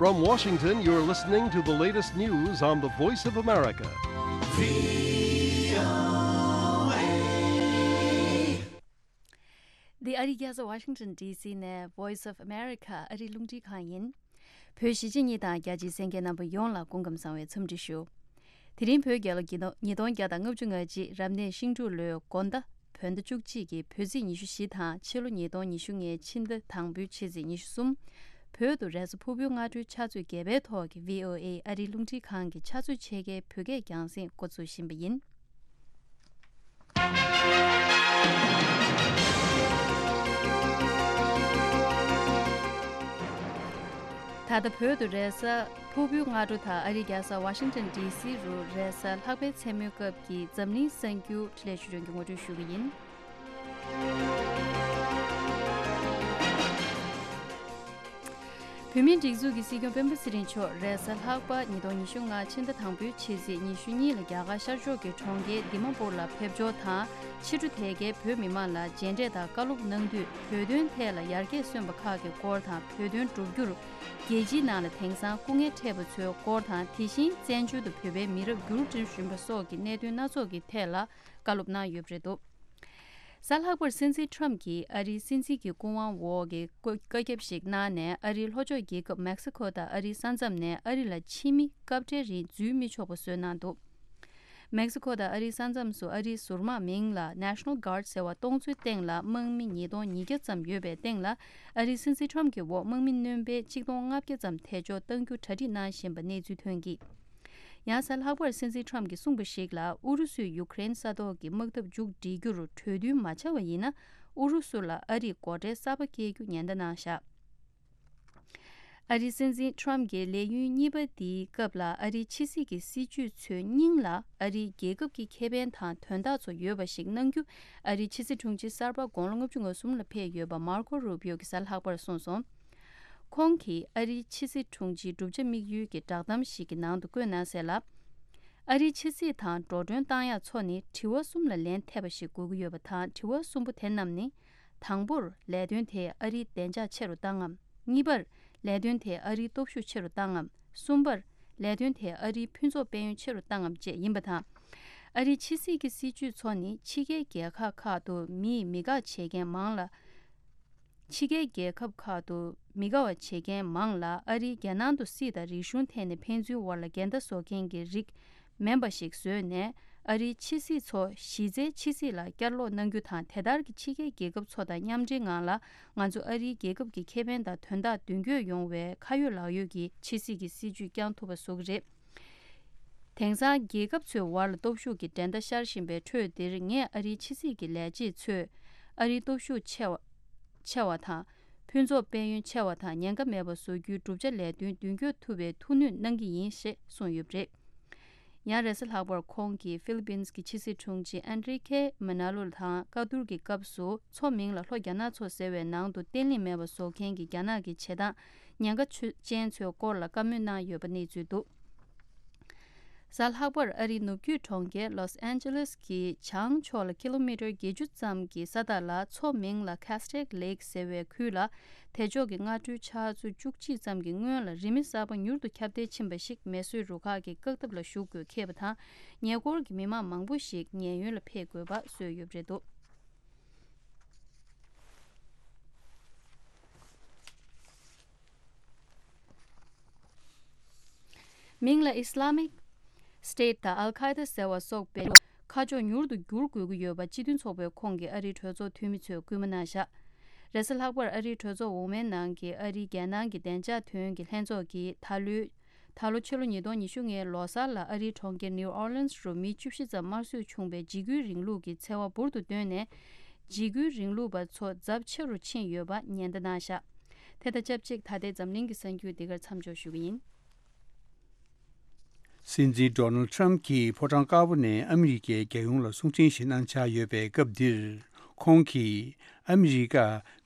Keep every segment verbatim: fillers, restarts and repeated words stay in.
From Washington, you're listening to the latest news on the Voice of America. འདི་ཨ་རིའི་རྒྱལ་ས་Washington D C ནས་Voice of America ཨ་རིའི་རླུང་འཕྲིན་ཁང་ཡིན། བོད་གཞིས་བྱེས་གཉིས་དང་རྒྱ་ཆེའི་གསན་མཁན་རྣམ་པ་ཡོངས་ལ་སྐུ་ཁམས་བཟང་བའི་འཚམས་འདྲི་ཞུ། དེ་རིང་བོད་རྒྱལ་ལོ་ཉིས་སྟོང་ཉིས་སྟོང་བརྒྱ་དང་ལྔ་བཅུ་ང་གཅིག་རབ་གནས་ཤིང་འབྲུག་ལོའི་དགོང་ཟླ་བོད་ཟླ་བཅུ་གཅིག་གི་བོད་ཚེས་ཉི་ཤུ་བཞི་དང་ཕྱི་ལོ་ཉིས་སྟོང་ཉི་ཤུ་ལྔའི་ཕྱི་ཟླ་དང་པོའི་ཕྱི་ཚེས་ཉི་ཤུ་གསུམ། བོད་དུ་རེས་གཟའ་ཕུར་བུའི་སྔ་དྲོའི་ཕྱག་ཚོད་བརྒྱད་པའི་ཐོག་གི་V O A ཨ་རིའི་རླུང་འཕྲིན་ཁང་གི་ཕྱག་ཚོད་ཕྱེད་ཀའི་བོད་སྐད་རྒྱང་སྲིང་འགོ་འཛུགས་བཞིན་པ་ཡིན། ད་ལྟ་བོད་དུ་རེས་གཟའ་ཕུར་བུའི་སྔ་དྲོ་དང་ཨ་རིའི་རྒྱལ་ས་Washington D C རུ་རེས་གཟའ་ལྷག་པའི་མཚན་མོའི་སྐབས་ཀྱི་འཛམ་གླིང་གསར་འགྱུར་འཕྲིན་ལས་ཞུ་སྐྱོང་གི་ངོ་སྤྲོད་ཞུ་གི་ཡིན། བོད་མིའི་སྒྲིག་འཛུགས་ཀྱི་སྲིད་སྐྱོང་སྤེན་པ་ཚེ་རིང་མཆོག་རེས་གཟའ་ལྷག་པ་ཉིས་སྟོང་ཉི་ཤུ་ལྔ་ཕྱི་ཟླ་དང་པོའི་ཕྱི་ཚེས་ཉི་ཤུ་གཉིས་ལ་རྒྱ་གར་ཤར་ཕྱོགས་ཀྱི་གྲོང་ཁྱེར་དི་མ་པུར་ལ་ཕེབས་འབྱོར་དང་ཕྱི་དྲོ་དེ་གའི་བོད་མི་མང་ལ་མཇལ་འཕྲད་དང་བཀའ་སློབ་གནང་དུས་བོད་དོན་ཐད་ལ་ཡར་རྒྱས་སོན་པ་ཁག་གི་སྐོར་དང་བོད་དོན་བསྒྲུབ་རྒྱུར་རྒྱལ་སྤྱིའི་ནང་ལ་དེང་སང་སྐུ་ངལ་འཕྲད་པ་ཚོའི་སྐོར་དང་དེ་བཞིན་བཙན་བྱོལ་དུ་བོད་པའི་མི་རབས་འགྱུར་འགྲོ་བཞིན་པ་སོགས་ཀྱི་གནད་དོན་སྣ་ཚོགས་ཀྱི་ཐད་ལ་བཀའ་སློབ་གནང་ཡོད་པ་རེད་འདུག་གཟའ་ལྷག་པར་སྲིད་འཛིན་ཊམ་གྱིས་ཨ་རིའི་སྲིད་འཛིན་གྱི་སྐུ་དབང་འོག་གི་བཀའ་བཀའ་ཁྱབ་ཞིག་གནང་ནས་ཨ་རིའི་ལྷོ་ཕྱོགས་རྒྱལ་ཁབ་མེག་སི་ཁོ་དང་ཨ་རིའི་ས་མཚམས་ནས་ཨ་རི་ལ་ཕྱི་མི་སྐབས་འཕྲལ་རིང་འཛུལ་མི་ཆོག་པ་བཟོས་གནང་འདུག་མེག་སི་ཁོ་དང་ཨ་རིའི་ས་མཚམས་སུ་ཨ་རིའི་ཟུར་དམག་མིང་ལ་National Guard ཟེར་བ་གཏོང་ཚུལ་སྟེང་ལ་དམག་མི་ཉིས་སྟོང་ཉིས་བརྒྱ་ཙམ་ཡོད་པའི་སྟེང་ལ་ཨ་རིའི་སྲིད་འཛིན་ཊམ་གྱི་འོག་དམག་མི་སྣོན་པའི་ཆིག་སྟོང་ལྔ་བརྒྱ་ཙམ་ཐད་གཅོག་གཏང་རྒྱུ་གྲ་སྒྲིག་གནང་བཞིན་པ་གནས་ཚུལ་ཐོན་གྱིས། ཡང་གཟའ་ལྷག་པར་སྲིད་འཛིན་ཊམ་གྱིས་གསུངས་པ་ཞིག་ལ་ཨུ་རུ་སུས་ཡུ་ཀེ་རེན་ས་ཐོག་གི་དམག་འཐབ་མཇུག་སྒྲིལ་རྒྱུར་གྲོས་མཐུན་མ་བྱ་བ་ཡིན་ན་ཨུ་རུ་སུ་ལ་ཨ་རིས་སྒོ་ཁྲལ་གསར་པ་སྐྱེལ་རྒྱུ་ཉེན་བརྡ་གནང་བཞག་ཨ་རིའི་སྲིད་འཛིན་ཊམ་གྱི་ལས་ཡུན་གཉིས་པ་འདིའི་སྐབས་ལ་ཨ་རིའི་ཕྱི་སྲིད་ཀྱི་སྲིད་ཇུས་ཚོའི་སྙིང་ལ་ཨ་རིའི་རྒྱལ་ཁབ་ཀྱི་ཁེ་ཕན་དང་དོན་དག་ཚོ་ཡོད་པ་ཞིག་གནང་རྒྱུ་ཨ་རིའི་ཕྱི་སྲིད་དྲུང་ཆེ་གསར་པ་དགུང་ལོ་ལྔ་བཅུ་ང་གསུམ་ལ་ཕེབས་ཡོད་པ་མར་ཀོ་རུ་པིའོ་གིས་གཟའ་ལྷག་པར་གསུངས་སོང་། ཁོང་གིས་ཨ་རིའི་ཕྱི་སྲིད་དྲུང་ཆེའི་བསྒྲུབ་བྱ་དམིགས་ཡུལ་གྱི་བསྒྲགས་གཏམ་ཞིག་གི་ནང་དུ་བཀོད་གནང་གསལ་ལ། ཨ་རིའི་ཕྱི་སྲིད་དང་འགྲོ་གྲོན་བཏང་ཡག་ཚོ་ནི་དྲི་བ་གསུམ་ལ་ལན་ཐེབས་པ་ཞིག་དགོས་ཀྱི་ཡོད་པ་དང་དྲི་བ་གསུམ་པོ་དེ་རྣམས་ནི། དང་པོར་ལས་དོན་དེས་ཨ་རིའི་བདེ་འཇགས་ཆེ་རུ་བཏང་ངམ། གཉིས་པར་ལས་དོན་དེས་ཨ་རིའི་སྟོབས་ཤུགས་ཆེ་རུ་བཏང་ངམ། གསུམ་པར་ལས་དོན་དེས་ཨ་རིའི་ཕུན་ཚོགས་དཔལ་ཡོན་ཆེ་རུ་བཏང་ངམ་བཅས་ཡིན་པ་དང་། ཨ་རིའི་ཕྱི་སྲིད་ཀྱི་སྲིད་ཇུས་ཚོ་ནི་ཕྱི་རྒྱལ་རྒྱལ་ཁབ་ཁག་ཏུ་མིས་མི་དགའ་བྱེད་མཁན་མང་ལ། ཕྱི་རྒྱལ་རྒྱལ་ཁབ་ཁག་ཏུ་མི་དགའ་བ་བྱེད་མཁན་མང་ལ་ཨ་རིའི་རྒྱལ་ནང་དུ་སྲིད་དང་རིག་གཞུང་ཐད་ནས་ཕན་ཚུན་དབར་ལ་འགལ་ཟླ་བཟོ་མཁན་གྱི་རིགས་མིན་པ་ཞིག་བཟོས་ནས་ཨ་རིའི་ཕྱི་སྲིད་ཚོ་གཞི་རྩའི་ཕྱི་སྲིད་ལ་བསྐྱར་ལོག་གནང་རྒྱུ་དང་དེ་ལྟར་གྱི་ཕྱི་རྒྱལ་རྒྱལ་ཁབ་ཚོ་དང་མཉམ་འབྲེལ་ངང་ལ་ང་ཚོ་ཨ་རིའི་རྒྱལ་ཁབ་ཀྱི་ཁེ་ཕན་དང་དོན་དག་མདུན་སྐྱོད་ཡོང་བའི་ཁ་ཡོད་ལག་ཡོད་ཀྱི་ཕྱི་སྲིད་ཀྱི་སྲིད་ཇུས་བསྐྱང་ཐུབ་པ་བཟོ་གི་རེད། དེང་སང་རྒྱལ་ཁབ་ཚོའི་བར་ལ་སྟོབས་ཤུགས་ཀྱི་འགྲན་ཟླ་ཤར་བཞིན་པའི་ཁྲོད་འདིར་ངས་ཨ་རིའི་ཕྱི་སྲིད་ཀྱི་ལས་བྱེད་ཚོས་ཨ་རིའི་སྟོབས་ཤུགས་ཆེ་བ་ཆེ་བ་དང་ཕུན་ཚོགས་དཔལ་ཡོན་ཆེ་བ་དང་ཉེན་ཁ་མེད་པ་བཟོ་རྒྱུའི་བསྒྲུབ་བྱ་ལས་དོན་མདུན་སྐྱོད་ཐུབ་པའི་ཐུགས་སྣོན་གནང་གི་ཡིན་ཞེས་གསུངས་ཡོད་པ་རེད། ཡང་རེས་གཟའ་ལྷག་པར་ཁོང་གིས་ཧྥི་ལི་པིན་གྱི་ཕྱི་སྲིད་དྲུང་ཆེ་ཨན་ཌི་རི་ཁེ་མ་ན་ལོ་དང་བཀའ་བསྡུར་གྱི་སྐབས་སུ་མཚོ་མིང་ལ་ལྷོ་རྒྱ་ནག་མཚོ་ཟེར་བའི་ནང་དུ་བརྟན་ལྷིང་མེད་པ་བཟོ་མཁན་གྱི་རྒྱ་ནག་གི་བྱེད་སྟངས་ཉེན་ཁ་ཆེ་ཅན་ཚོའི་སྐོར་ལ་བཀའ་མོལ་གནང་ཡོད་པ་གནས་ཚུལ་འདུག་གཟའ་ལྷག་པར་ཨ་རིའི་ནུབ་རྒྱུད་གྲོང་ཁྱེར་ལོས་ཨན་ཇེ་ལེས་ཀྱི་བྱང་ཕྱོགས་ལ་ཀི་ལོ་མི་ཊར་བརྒྱད་ཅུ་ཙམ་གྱི་ས་ཐག་ལ་མཚོ་མིང་ལ་ཁ་སི་ཊེག་ལེག་ཟེར་བའི་ཁུལ་ལ་དེ་ཕྱོགས་ཀྱི་སྔ་དྲོའི་ཕྱག་ཚོད་བཅུ་གཅིག་ཙམ་གྱི་སྔོན་ལ་རི་མེ་གསར་པ་མྱུར་དུ་ཁྱབ་གདལ་ཕྱིན་པ་ཞིག་མེ་གསོད་རུ་ཁག་གིས་བཀག་ཐབས་ལ་ཞུགས་དགོས་ཁེལ་བ་དང་ཉེ་འཁོར་གྱི་མི་མང་མང་པོ་ཞིག་ཉེན་གཡོལ་ལ་ཕེབས་དགོས་པ་བཟོས་ཡོད་པ་རེད་འདུག་མིང་ལ་Islamic State དང་Al Qaeda ཟེར་བ་སོགས་པའི་ཁ་ཕྱོགས་མྱུར་དུ་བསྒྱུར་དགོས་ཀྱི་ཡོད་པ་སྤྱི་མཐུན་ཚོགས་པའི་ཁོངས་ཀྱི་ཨ་རིའི་གྲོས་ཚོགས་འཐུས་མི་ཚོས་སྐུལ་མ་གནང་བཞག་རེས་གཟའ་ལྷག་པར་ཨ་རིའི་གྲོས་ཚོགས་འོག་མའི་ནང་གི་ཨ་རིའི་རྒྱལ་ནང་གི་བདེ་འཇགས་དོན་གྱི་ལྷན་ཚོགས་ཀྱིས་ད་ལོའི་ད་ལོ་ཕྱི་ལོ་ཉིས་སྟོང་ཉི་ཤུ་ལྔའི་ལོ་གསར་ལ་ཨ་རིའི་གྲོང་ཁྱེར་New Orleans རུ་མི་བཅུ་བཞི་ཙམ་དམར་གསོད་བྱུང་བའི་འཇིགས་སྐུལ་རིང་ལུགས་ཀྱི་འཚེ་བ་འབུར་དུ་བཏོན་ནས། འཇིགས་སྐུལ་རིང་ལུགས་པ་ཚོ་ཚབས་ཆེ་རུ་ཕྱིན་ཡོད་པ་ཉེན་བརྡ་གནང་བཞག་དེ་དང་ཆབས་ཅིག་ད་ལྟའི་འཛམ་གླིང་གི་གསར་འགྱུར་འདི་གར་མཚམས་འཇོག་ཞུ་གི་ཡིན། སྲིད་འཛིན་ཌོ་ནལ་ཌི་ཊམ་གྱིས་ཕོ་བྲང་དཀར་པོ་ནས་ཨ་མི་རི་ཀའི་རྒྱལ་ཡོངས་ལ་གསུང་འཕྲིན་ཞིག་གནང་འཆར་ཡོད་པའི་སྐབས་འདིར། ཁོང་གིས་ཨ་མི་རི་ཀ་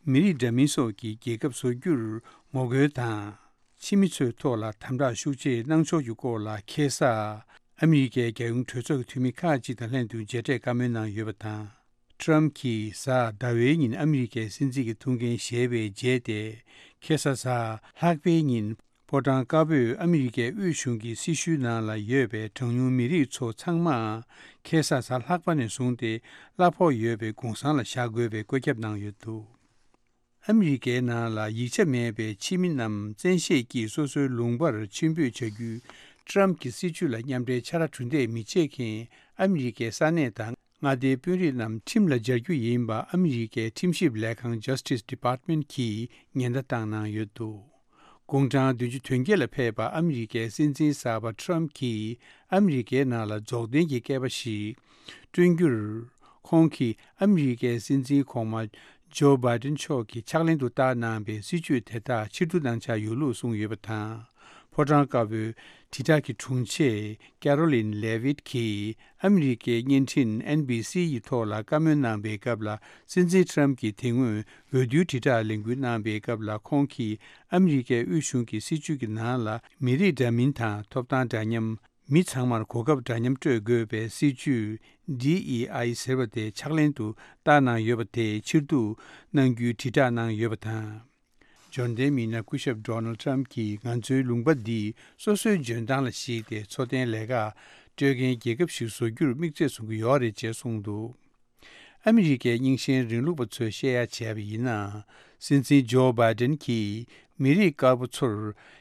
མི་རིགས་འདྲ་མིན་སོགས་ཀྱི་རྒྱལ་ཁབ་བཟོ་རྒྱུར་ངོ་རྒོལ་དང་། ཕྱི་མི་ཚོའི་ཐོག་ལ་དམ་དྲག་ཤུགས་ཆེ་གནང་ཕྱོགས་ཀྱི་སྐོར་ལ་ཁ་སང་ཨ་མི་རི་ཀའི་རྒྱལ་ཡོངས་གྲོས་ཚོགས་ཀྱི་འཐུས་མི་ཁག་ཅིག་དང་ལྷན་དུ་མཇལ་འཕྲད་བཀའ་མོལ་གནང་ཡོད་པ་དང་། ཊམ་གྱིས་གཟའ་ཟླ་བའི་ཉིན་ཨ་མི་རི་ཀའི་སྲིད་འཛིན་གྱི་ཐུགས་འགན་བཞེས་པའི་རྗེས་ཏེ། ཁ་སང་གཟའ་ལྷག་པའི་ཉིན་ ཕོ་བྲང་དཀར་པོས་ཨ་མི་རི་ཀའི་དབུས་གཞུང་གི་སྲི་ཞུའི་ནང་ལ་ཡོད་པའི་གྲངས་ཉུང་མི་རིགས་ཚོ་ཚང་མ་ཁ་སང་གཟའ་ལྷག་པ་ནས་བཟུང་སྟེ་གླ་ཕོགས་ཡོད་པའི་གུང་སེང་ལ་བཞག་དགོས་པའི་བཀོད་ཁྱབ་གནང་ཡོད་འདུག་ཨ་མི་རི་ཀའི་ནང་ལ་ཡིག་ཆ་མེད་པའི་ཕྱི་མི་རྣམས་བཙན་ཤེད་ཀྱིས་སོ་སོའི་ལུང་པར་ཕྱིར་འབུད་བྱ་རྒྱུའི་ཊམ་གྱི་སྲིད་ཇུས་ལ་མཉམ་འབྲེལ་ཆ་ར་གྲུ་འདེགས་མི་བྱེད་མཁན་ཨ་མི་རི་ཀའི་ས་གནས་དང་མངའ་སྡེའི་དཔོན་རིགས་རྣམས་ཁྲིམས་ལ་སྦྱར་རྒྱུ་ཡིན་པ་ཨ་མི་རི་ཀའི་ཁྲིམས་ཞིབ་ལས་ཁང་Justice Department གྱིས་ཉེན་བརྡ་བཏང་གནང་ཡོད་འདུག་དགུང་གྲངས་བདུན་ཅུ་དོན་བརྒྱད་ལ་ཕེབས་པ་ཨ་མི་རི་ཀའི་སྲིད་འཛིན་གསར་པ་ཊམ་གྱིས་ཨ་མི་རི་ཀའི་ནང་ལ་རྫོགས་ལྡན་གྱི་སྐྱེས་པ་ཞིག་བསྐྲུན་རྒྱུར། ཁོང་གིས་ཨ་མི་རི་ཀའི་སྲིད་འཛིན་གོང་མ་ཇོ་བྷའི་ཏིན་མཆོག་གིས་ཕྱག་ལེན་དུ་བསྟར་གནང་པའི་སྲིད་ཇུས་དེ་དག་ཕྱིར་བསྡུ་གནང་འཆར་ཡོད་ལུགས་གསུངས་ཡོད་པ་དང་། ཕོ་བྲང་དཀར་པོའི་དྲིལ་བསྒྲགས་ཀྱི་དྲུང་ཆེ་ཀེ་རོ་ལིན་ལེ་ཝིད་ཀྱིས་ཨ་མི་རི་ཀའི་བརྙན་འཕྲིན་ཨེན་བྷི་སི་ཡི་ཐོག་ལ་བཀའ་མོལ་གནང་པའི་སྐབས་ལ། སྲིད་འཛིན་ཊམ་གྱིས་དེ་སྔོན་འོས་བསྡུའི་དྲིལ་བསྒྲགས་ལས་འགུལ་གནང་པའི་སྐབས་ལ། ཁོང་གིས་ཨ་མི་རི་ཀའི་དབུས་གཞུང་གི་སྲིད་ཇུས་ཀྱི་ནང་ལ་མི་རིགས་འདྲ་མིན་དང་ཐོབ་ཐང་འདྲ་མཉམ། མི་ཚང་མར་གོ་སྐབས་འདྲ་མཉམ་སྤྲོད་དགོས་པའི་སྲིད་ཇུས་ཌི་ཨི་ཨའི་ཟེར་བ་དེ་ཕྱག་ལེན་དུ་བསྟར་གནང་ཡོད་པ་དེ་ཕྱིར་བསྡུ་གནང་རྒྱུའི་དྲིལ་བསྒྲགས་གནང་ཡོད་པ་དང་། འབྱོར་ལྡན་མི་སྣ་སྐུ་ཞབས་ཌོ་ནལ་ཊམ་གྱིས་ང་ཚོའི་ལུང་པ་འདི་སོ་སོའི་འཇོན་ཐང་ལ་གཞིགས་ཏེ་འཚོ་རྟེན་ལས་ཀ་སྤྲོད་མཁན་རྒྱལ་ཁབ་ཞིག་བཟོ་རྒྱུར་དམིགས་ཚད་བཟུང་གི་ཡོད་རེད་ཅེས་གསུངས་འདུག་ཨ་མི་རི་ཀའི་རྙིང་ཞེན་རིང་ལུགས་པ་ཚོས་བཤད་ཡ་བྱས་པ་ཡིན་ན། སྲིད་འཛིན་ཇོ་བྷའི་ཏིན་གྱིས་མི་རིགས་དཀར་པོ་ཚོར་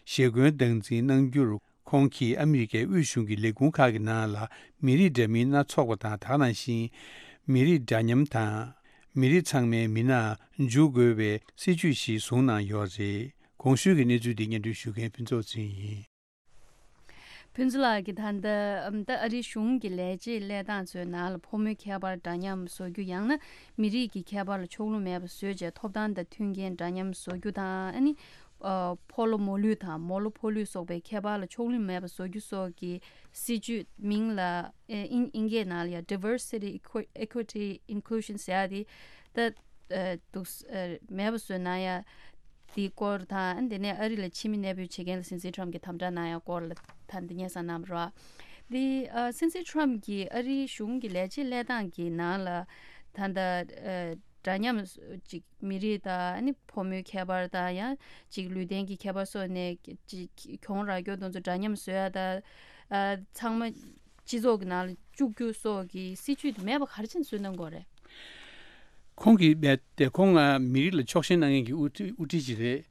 ཞེ་འཁོན་སྟངས་འཛིན་གནང་རྒྱུར། ཁོང་གིས་ཨ་མི་རི་ཀའི་དབུས་གཞུང་གི་ལས་ཁུངས་ཁག་གི་ནང་ལ་མི་རིགས་འདྲ་མིན་སྣ་ཚོགས་པ་དང་། དེ་ནང་བཞིན་མི་རིགས་འདྲ་མཉམ་དང་། མི་རིགས་ཚང་མའི་མི་སྣ་འཇུག་དགོས་པའི་སྲིད་ཇུས་ཤིག་བཟུང་གནང་ཡོད་རེད། གོང་ཞུས་ཀྱི་གནས་ཚུལ་འདི་སྙན་སྒྲོན་ཞུ་མཁན་ཕུན་ཚོགས་ཚེ་རིང་ཡིན། ཕུན་ཚོགས་ལགས་ཀྱིས་ད་ལྟ་ཨམ་ད་ཨ་རིའི་གཞུང་གི་ལས་བྱེད་ལས་སྟངས་ཚོའི་ནང་ལ་ཕོ་མོའི་ཁྱད་པར་འདྲ་མཉམ་བཟོ་རྒྱུ། ཡང་ན་མི་རིགས་ཀྱི་ཁྱད་པར་ལ་ཕྱོགས་ལྷུང་མེད་པ་བཟོས་རྗེས་ཐོབ་ཐང་དང་མཐུན་རྐྱེན་འདྲ་མཉམ་བཟོ་རྒྱུ་དང་། ཨ་ནི་ཨ་ཕོ་ལོ་མོ་ལུས་དང་མོ་ལོ་ཕོ་ལུས་སོགས་པའི་ཁྱད་པར་ལ་ཕྱོགས་ལྷུང་མེད་པ་བཟོ་རྒྱུ་སོགས་ཀྱི་སྲིད་ཇུས། མིང་ལ་ཨེ་ཨིན་ཨིན་སྐད་ནང་ལ་ཡང་Diversity Equi- Equity Inclusion ཟེར་ཡ་དེ་ད་ཨ་འདུག་ཨ་མེད་པ་བཟོས་གནང་ཡ་དེའི་སྐོར་དང་། དེ་ནས་ཨ་རི་ལ་ཕྱི་མི་གནས་སྤོས་བྱེད་མཁན་ལ་སྲིད་འཛིན་ཊམ་གྱིས་དམ་དྲག་གནང་ཡ་སྐོར་ལ་ད་འདི་སྙན་སེང་གནང་བ་རེད། འདི་ཨ་སྲིད་འཛིན་ཊམ་གྱིས་ཨ་རིའི་གཞུང་གི་ལས་བྱེད་ལས་སྟངས་ཀྱི་ནང་ལ་ད་ལྟ་ཨ་འདྲ་མཉམ་ཅིག་མི་རིགས་དང་ཨ་ནི་ཕོ་མོའི་ཁྱད་པར་དང་། ཡང་ཅིག་ལུས་རྟེན་གྱི་ཁྱད་པར་སོགས་ནས་ཅིག་གྱོང་རག་རྒྱུ་དེ་ཚོ་འདྲ་མཉམ་བཟོ་ཡ་དང་། ཨ་ཚང་མ་སྤྱི་ཚོགས་ཀྱི་ནང་ལ་བཅུག་རྒྱུ་སོགས་ཀྱི་སྲིད་ཇུས་དེ་མེད་པ་ག་རེ་བྱས་ནས་བཟོས་གནང་དགོས་རེད། ཁོང་གིས་རྦད་དེ་ཁོང་ང་མི་རིགས་ལ་ཕྱོགས་ཞེན་གནང་མཁན་གྱི་དབུ་ཁྲིད་དབུ་ཁྲིད་ཅིག་རེད།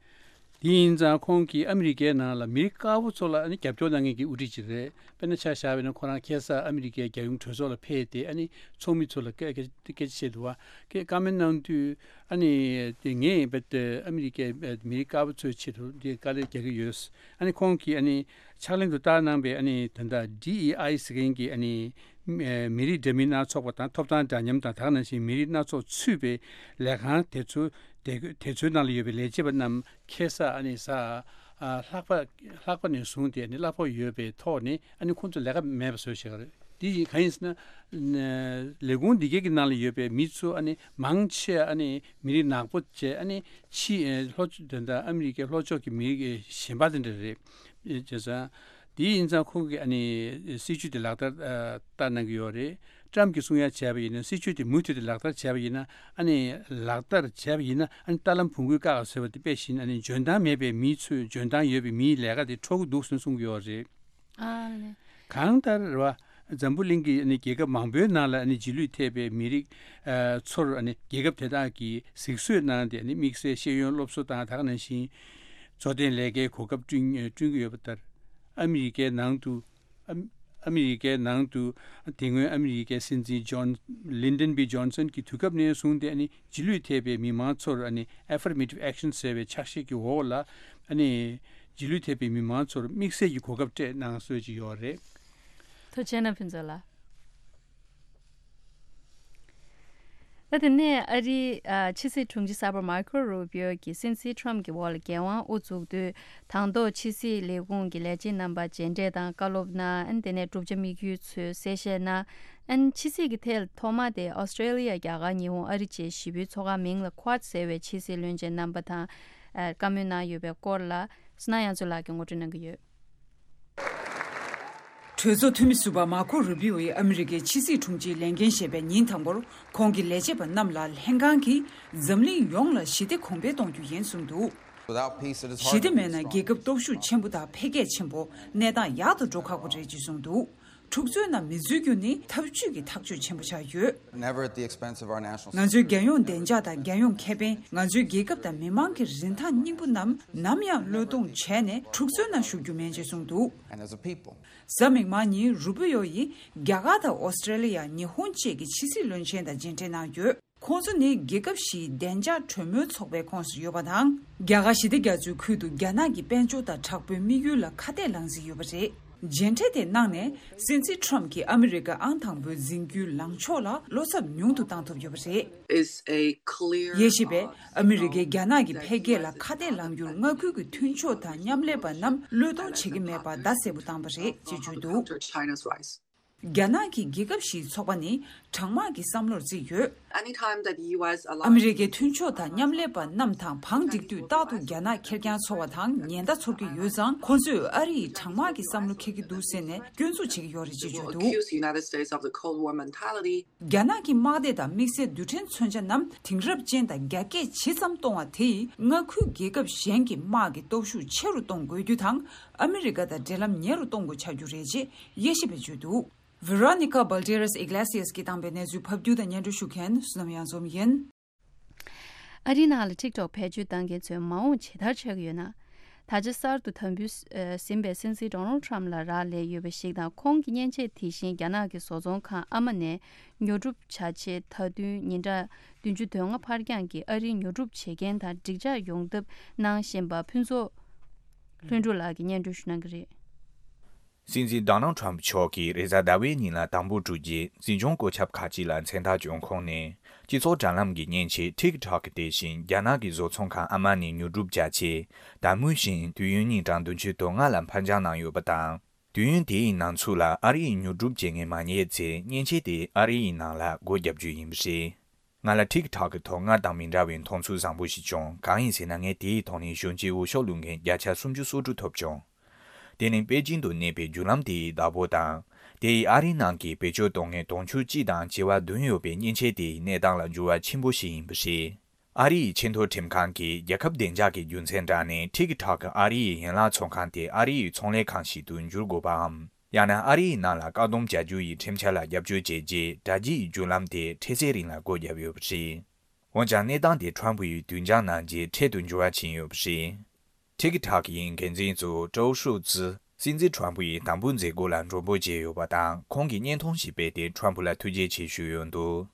དེ་ཡིན་ཙང་ཁོང་གིས་ཨ་མི་རི་ཀའི་ནང་ལ་མི་རིགས་དཀར་པོ་ཚོ་ལ་ཨ་ནི་རྒྱབ་སྐྱོར་གནང་མཁན་གྱི་དབུ་ཁྲིད་ཅིག་རེད། དཔེར་ན་ཆ་བཞག་པ་ཡིན་ན་ཁོ་རང་ཁ་སང་ཨ་མི་རི་ཀའི་རྒྱལ་ཡོངས་གྲོས་ཚོགས་ལ་ཕེབས་ཏེ་ཨ་ནི་ཚོགས་མི་ཚོ་ལ་སྐད་སྐད་སྐད་ཆ་བཤད་འདུག་བ། སྐད་བཀའ་མོལ་གནང་དུས་ཨ་ནི་དེ་ངས་རྦད་དེ་ཨ་མི་རི་ཀའི་མི་རིགས་དཀར་པོ་ཚོའི་ཆེད་དུ་དེ་དཀའ་ལས་རྒྱག་གི་ཡོད། ཨ་ནི་ཁོང་གིས་ཨ་ནི་ཕྱག་ལེན་དུ་བསྟར་གནང་པའི་ཨ་ནི་ད་ལྟ་ཌི་ཨི་ཨའི་ཟེར་མཁན་གྱི་ཨ་ནི་མི་རིགས་འདྲ་མིན་སྣ་ཚོགས་པ་དང་ཐོབ་ཐང་འདྲ་མཉམ་དང་། དེ་ནང་བཞིན་མི་རིགས་སྣ་ཚོགས་ཚུད་པའི་ལས་ཁང་དེ་ཚོ་དེ་དེ་ཚོའི་ནང་ལ་ཡོད་པའི་ལས་བྱེད་པ་རྣམས་ཁ་སང་ཨ་ནི་གཟའ་ཨ་ལྷག་པ་ལྷག་པ་ནས་བཟུང་སྟེ་ཨ་ནི་གླ་ཕོགས་ཡོད་པའི་ཐོག་ནས་ཨ་ནི་ཁོང་ཚོ་ལས་ཀ་མེད་པ་བཟོས་བཞག་རེད། དེ་ཡིན་གང་ཡིན་ཟེར་ན། ལས་ཁུངས་འདི་གའི་གི་ནང་ལ་ཡོད་པའི་མི་ཚོ་ཨ་ནི་མང་ཆེ་ཨ་ནི་མི་རིགས་ནག་པོ་བྱས། ཨ་ནི་ཕྱི་ལྷོ་ཕྱོགས་དེ་འདྲ་ཨ་མི་རི་ཀའི་ལྷོ་ཕྱོགས་ཀྱི་མི་རིགས་གཞན་པ་དེ་འདྲ་རེད། བྱས་ཙང་དེ་ཡིན་ཙང་ཁོང་གིས་ཨ་ནི་སྲིད་ཇུས་དེ་ལག་བསྟར་ཨ་བསྟར་གནང་གི་ཡོད་རེད། ཊམ་གྱིས་གསུང་ཡ་བྱས་པ་ཡིན་ན། སྲིད་ཇུས་དེ་མུ་མཐུད་དེ་ལག་བསྟར་བྱས་པ་ཡིན་ན། ཨ་ནི་ལག་བསྟར་བྱས་པ་ཡིན་ན། ཨ་ནི་རྟ་ལམ་བོང་གུས་བཀག་ཟེར་བ་དེ་དཔེ་བཞིན། ཨ་ནི་འཇོན་ཐང་མེད་པའི་མི་ཚོས་འཇོན་ཐང་ཡོད་པའི་མིའི་ལས་ཀ་དེ་འཕྲོག་གི་འདུག་ཟེར་གསུང་གི་ཡོད་རེད། ཨ་ལེ། གང་ལྟར་རེད་བ། འཛམ་བུ་གླིང་གི་ཨ་ནི་རྒྱལ་ཁབ་མང་པོའི་ནང་ལ་ཨ་ནི་རྗེས་ལུས་ཐེབས་པའི་མི་རིགས་ཨ་ཚོར་ཨ་ནི་རྒྱལ་ཁབ་དེ་དག་གིས་གཟིགས་གསོལ་གནང་སྟེ། ཨ་ནི་དམིགས་བསལ་ཤེས་ཡོན་སློབ་གསོ་དང་། དེ་ནང་བཞིན་འཚོ་རྟེན་ལས་ཀའི་གོ་སྐབས་བསྐྲུན་བསྐྲུན་གྱི་ཡོད་པ་ལྟར། ཨ་མི་རི་ཀའི་ནང་དུ་ཨ་ཨ་མི་རི་ཀའི་ནང་དུ་དེ་སྔོན་ཨ་མི་རི་ཀའི་སྲིད་འཛིན་ཇོན། ལིན་ཌོན་བྷི་ཇོན་སན་གྱི་དུས་སྐབས་ནས་བཟུང་སྟེ། ཨ་ནི་རྗེས་ལུས་ཐེབས་པའི་མི་མང་ཚོར་ཨ་ནི་Affirmative Action ཟེར་བའི་ཕྱག་བཞེས་ཀྱི་འོག་ལ་ཨ་ནི་རྗེས་ལུས་ཐེབས་པའི་མི་མང་ཚོར་དམིགས་བསལ་གྱི་གོ་སྐབས་སྤྲད་གནང་སྲོལ་ཅིག་ཡོད་རེད། ཐུགས་རྗེ་གནང་ཕུན་ཚོགས་ལགས། ད་དེ་ནས་ཨ་རིའི་ཨ་ཕྱི་སྲིད་དྲུང་ཆེ་གསར་པ་མར་ཁོ་རུ་པིའོ་གིས་སྲིད་འཛིན་ཁྲོམ་གྱི་འོག་ལ་འགན་དབང་དབུ་འཛུགས་དུས། དང་ཐོག་ཕྱི་སྲིད་ལས་ཁུངས་ཀྱི་ལས་བྱེད་རྣམ་པར་མཇལ་འཕྲད་དང་བཀའ་སློབ་གནང་། ཨ་ནི་དེ་ནས་བསྒྲུབ་བྱ་དམིགས་ཡུལ་ཚོའི་གསལ་བཤད་གནང་། ཨ་ནི་ཕྱི་སྲིད་ཀྱི་ཐད་ཐོག་མ་དེ་ཨོ་སི་ཀྲེ་ལི་ཡ། རྒྱ་གར། ཉི་ཧོང་། ཨ་རི་བཅས་བཞི་པོའི་ཚོགས་ཁང་མིང་ལ་Quad ཟེར་བའི་ཕྱི་སྲིད་བློན་ཆེན་རྣམ་པ་དང་ཨ་བཀའ་མོལ་གནང་ཡོད་པའི་སྐོར་ལ། སྣང་ཡང་ཚོ་ལགས་ཀྱིས་ངོ་སྤྲོད་གནང་གི་ཡོད། གྲོས་ཚོགས་འཐུས་མི་ཟུར་པ་མར་ཁོ་རུ་པིའོ་ཡིས་ཨ་མི་རི་ཀའི་ཕྱི་སྲིད་དྲུང་ཆེའི་ལས་འགན་བཞེས་པའི་ཉིན་དང་པོར། ཁོང་གིས་ལས་བྱེད་པ་རྣམས་ལ་ལྷན་ཁང་གིས་འཛམ་གླིང་ཡོངས་ལ་ཞི་བདེ་གོང་འཕེལ་གཏོང་རྒྱུ་ཡིན་གསུངས་འདུག Without peace, it is hard to be strong. ཞི་བདེ་མེད་ན་རྒྱལ་ཁབ་སྟོབས་ཤུགས་ཆེན་པོ་དང་འཕེལ་རྒྱས་ཆེན་པོ། གནས་སྟངས་ཡག་ཏུ་འགྲོ་ཁག་པོ་རེད་ཅེས་གསུངས་འདུག་འཁྲུག་རྩོད་ནང་མི་འཛུལ་རྒྱུ་ནི་ཐབས་ཇུས་ཀྱི་ཐག་གཅོད་ཆེན་པོ་ཆགས་ཡོད། Never at the expense of our national security. ང་ཚོའི་རྒྱལ་ཡོངས་བདེ་འཇགས་དང་རྒྱལ་ཡོངས་ཁེ་ཕན། ང་ཚོའི་རྒྱལ་ཁབ་དང་མི་མང་གི་རིན་ཐང་སྙིང་པོ་རྣམས་ནམ་ཡང་བློས་གཏོང་བྱས་ནས་འཁྲུག་རྩོད་ནང་ཞུགས་རྒྱུ་མེད་ཅེས་གསུངས་འདུག And as a people. གཟའ་མིག་དམར་ཉིན་རུ་པི་ཡོ་ཡིས་རྒྱ་གར་དང་ཨོ་སི་ཀྲེ་ལི་ཡ། ཉི་ཧོང་བཅས་ཀྱི་ཕྱི་སྲིད་བློན་ཆེན་དང་མཇལ་འཕྲད་གནང་ཡོད། ཁོང་ཚོ་ནི་རྒྱལ་ཁབ་བཞིའི་བདེ་འཇགས་གྲོས་མོལ་ཚོགས་པའི་ཁོངས་སུ་ཡོད་པ་དང་། རྒྱ་གར་ཞི་བདེ་རྒྱ་མཚོའི་ཁུལ་དུ་རྒྱ་ནག་གི་དཔལ་འབྱོར་དང་དྲག་པོའི་དམིགས་ཡུལ་ལ་ཁ་གཏད་ལངས་རྩིས་ཡོད་པ་རེད། མཇལ་འཕྲད་དེ་གནང་ནས་སྲིད་འཛིན་ཁྲོམ་གྱིས་ཨ་མི་རི་ཀ་ཨང་དང་པོའི་འཛིན་རྒྱུའི་ལངས་ཕྱོགས་ལ་བློ་འཚབ་ཉུང་དུ་བཏང་ཐུབ་ཡོད་པ་རེད། Is a clear, དབྱེ་ཞིབ་པས། ཨ་མི་རི་ཀས་རྒྱ་ནག་གི་འཕེལ་རྒྱས་ལ་ཁ་གཏད་ལངས་རྒྱུར་མངའ་ཁུལ་གྱི་མཐུན་ཕྱོགས་དང་མཉམ་ལས་པ་རྣམས་བློས་གཏོང་བྱེད་ཀྱི་མེད་པ་བརྡ་གསལ་པོ་བཏང་པ་རེད་ཅེས་བརྗོད་འདུག China's rise. རྒྱ་ནག་གི་རྒྱལ་ཁབ་བཞིའི་ཚོགས་པ་ནི་གྲང་དམག་གི་བསམ་བློར་བརྩིས་ཡོད། Anytime that the U S allows ཨ་མི་རི་ཀའི་མཐུན་ཕྱོགས་དང་མཉམ་ལས་པ་རྣམས་དང་བང་བསྒྲིགས་དུས་རྟག་ཏུ་རྒྱ་ནག་ཁེར་རྐྱང་ཚོར་བ་དང་ཉེན་བརྡ་ཚོར་གྱི་ཡོད་ཙང་། ཁོ་ཚོས་ཨ་རི་ཡི་གྲང་དམག་གི་བསམ་བློ་འཁྱེར་གྱི་འདུག་ཟེར་ནས་སྐྱོན་འཛུགས་བྱེད་ཀྱི་ཡོད་རེད་ཅེས་བརྗོད་འདུག Accuse the United States of the Cold War mentality. རྒྱ་ནག་གི་དམག་སྡེ་དང་དམིགས་བསལ་རྡུལ་ཕྲན་མཚོན་ཆ་རྣམས་དེང་རབས་ཅན་དང་རྒྱ་སྐྱེད་ཇི་ཙམ་གཏོང་བ་དེ་ཡིས་མངའ་ཁུལ་རྒྱལ་ཁབ་གཞན་གྱི་དམག་གི་སྟོབས་ཤུགས་ཆེ་རུ་གཏོང་དགོས་རྒྱུ་དང་། ཨ་མི་རི་ཀ་དང་འབྲེལ་ལམ་ཉེ་རུ་གཏོང་དགོས་ཆགས་རྒྱུ་རེད་ཅེས་དབྱེ་ཞིབ་པས་བརྗོད་འདུག Veronica Balderas Iglesias གིས་བཏང་པའི་གནས་ཚུལ་ཕབ་སྒྱུར་དང་སྙན་སྒྲོན་ཞུ་མཁན་བསོད་ནམས་གཡང་འཛོམས་ཡིན། ཨ་རིའི་ནང་ལ་ཊིག་ཊོག་བེད་སྤྱོད་བཏང་མཁན་ཚོས་མ་འོངས་ཇི་ལྟར་ཆགས་ཀྱི་ཡོད་ན། ད་ཆ་གསར་དུ་དམ་འབུལ་ཟིན་པའི་སྲིད་འཛིན་ཌོ་ནལ་ཊམ་ལ་རག་ལས་ཡོད་པ་ཞིག་དང་། ཁོང་གི་མཉེན་ཆས་དེ་བཞིན་རྒྱ་ནག་གི་བཟོ་ཚོང་ཁང་ཨ་མ་ནས་ཉོ་སྒྲུབ་བྱ་ཆེད་མཐའ་དོན་ཉིན་གྲངས་བདུན་ཅུ་དོན་ལྔ་ཕར་འགྱངས་ཀྱིས་ཨ་རིའི་ཉོ་སྒྲུབ་བྱེད་མཁན་དང་འགྲིག་འཇགས་ཡོང་ཐབས་གནང་བཞིན་པ་ཕུན་ཚོགས་ལྷུན་གྲུབ་ལགས་ཀྱིས་སྙན་སྒྲོན་ཞུ་གནང་གི་རེད། སྲིད་འཛིན་ཌོ་ནལ་ཊམ་མཆོག་གིས་རེས་གཟའ་ཟླ་བའི་ཉིན་ལ་དམ་པོ་བསྒྲུབས་རྗེས། འཛིན་སྐྱོང་བཀོད་ཁྱབ་ཁག་ཅིག་ལ་མཚན་རྟགས་བསྐྱོན་ཁོངས་ནས། སྤྱི་ཚོགས་དྲ་ལམ་གྱི་མཉེན་ཆས་ཊིག་ཊོག་དེ་བཞིན་རྒྱ་ནག་གི་བཟོ་ཚོང་ཁང་ཨ་མ་ནས་ཉོ་སྒྲུབ་བྱ་ཆེད། དང་པོ་བཞིན་དུས་ཡུན་ཉིན་གྲངས་བདུན་ཅུ་དོན་ལྔ་ལ་ཕར་འགྱངས་གནང་ཡོད་པ་དང་། དུས་ཡུན་དེའི་ནང་ཚུད་ལ་ཨ་རི་ཡི་ཉོ་སྒྲུབ་བྱེད་མཁན་མ་རྙེད་ཚེ། མཉེན་ཆས་དེ་ཨ་རི་ཡི་ནང་ལ་སྒོ་བརྒྱབ་རྒྱུ་ཡིན་པ་རེད། ང་ལ་ཊིག་ཊོག་གི་ཐོག་སྔར་དང་མི་འདྲ་བའི་མཐོང་ཚུལ་བཟང་པོ་ཞིག་བྱུང་། གང་ཡིན་ཟེར་ན། ངས་དེའི་ཐོག་ནས་གཞོན་སྐྱེས་འོས་ཤོག་བླུག་མཁན་བརྒྱ་ཆ་སུམ་ཅུ་སོ་དྲུག་ཐོབ་བྱུང་། དེ་ནི་པེ་ཅིང་དུ་གནས་པའི་བརྒྱུད་ལམ་དེའི་བདག་པོ་དང་། དེ་ཡིས་ཨ་རིའི་ནང་གི་བེད་སྤྱོད་གཏོང་མཁན་དུང་ཕྱུར་གཅིག་དང་བྱེ་བ་བདུན་ཡོད་པའི་མཉེན་ཆས་དེ་ཡི་གནས་སྟངས་ལ་འགྱུར་བ་ཆེན་པོ་ཞིག་ཡིན་པ་རེད། ཨ་རི་ཡི་ཆེས་མཐོའི་ཁྲིམས་ཁང་གིས་རྒྱལ་ཁབ་བདེ་འཇགས་ཀྱི་རྒྱུ་མཚན་བརྒྱབ་ནས། ཊིག་ཊོག་གི་ཨ་རི་ཡི་ཡན་ལག་ཚོང་ཁང་དེ་ཨ་རི་ཡི་ཚོང་ལས་ཁང་ཞིག་ཏུ་འགྱུར་དགོས་པའམ། ཡང་ན་ཨ་རི་ཡི་ནང་ལ་བཀག་སྡོམ་བྱ་རྒྱུ་ཡི་ཁྲིམས་འཆར་ལ་རྒྱབ་སྐྱོར་བྱས་རྗེས། དྲ་རྒྱའི་བརྒྱུད་ལམ་དེ་འཕྲལ་སེལ་རིང་ལ་སྒོ་བརྒྱབ་ཡོད་པ་རེད། འོན་ཀྱང་། གནས་སྟངས་དེ་ཁྲམ་ཕུ་ཡིས་དུས་འགྱངས་གནང་རྗེས་འཕྲལ་དུ་འགྱུར་བ་ཕྱིན་ཡོད་པ་རེད། ཊིག་ཊོག་ཡི་འགན་འཛིན་གཙོ་བོ་ཀྲོའུ་ཧྲུའུ་ཙི། སྲིད་འཛིན་ཁྲམ་ཕུ་ཡིས་དམ་འབུལ་མཛད་སྒོ་ལ་མགྲོན་པོ་བྱས་ཡོད་པ་དང་། ཁོང་གིས་བརྙན་ཐུང་ཞིག་སྤེལ་ཏེ་ཁྲམ་ཕུ་ལ་ཐུགས་རྗེ་ཆེ་ཞུས་ཡོད་འདུག་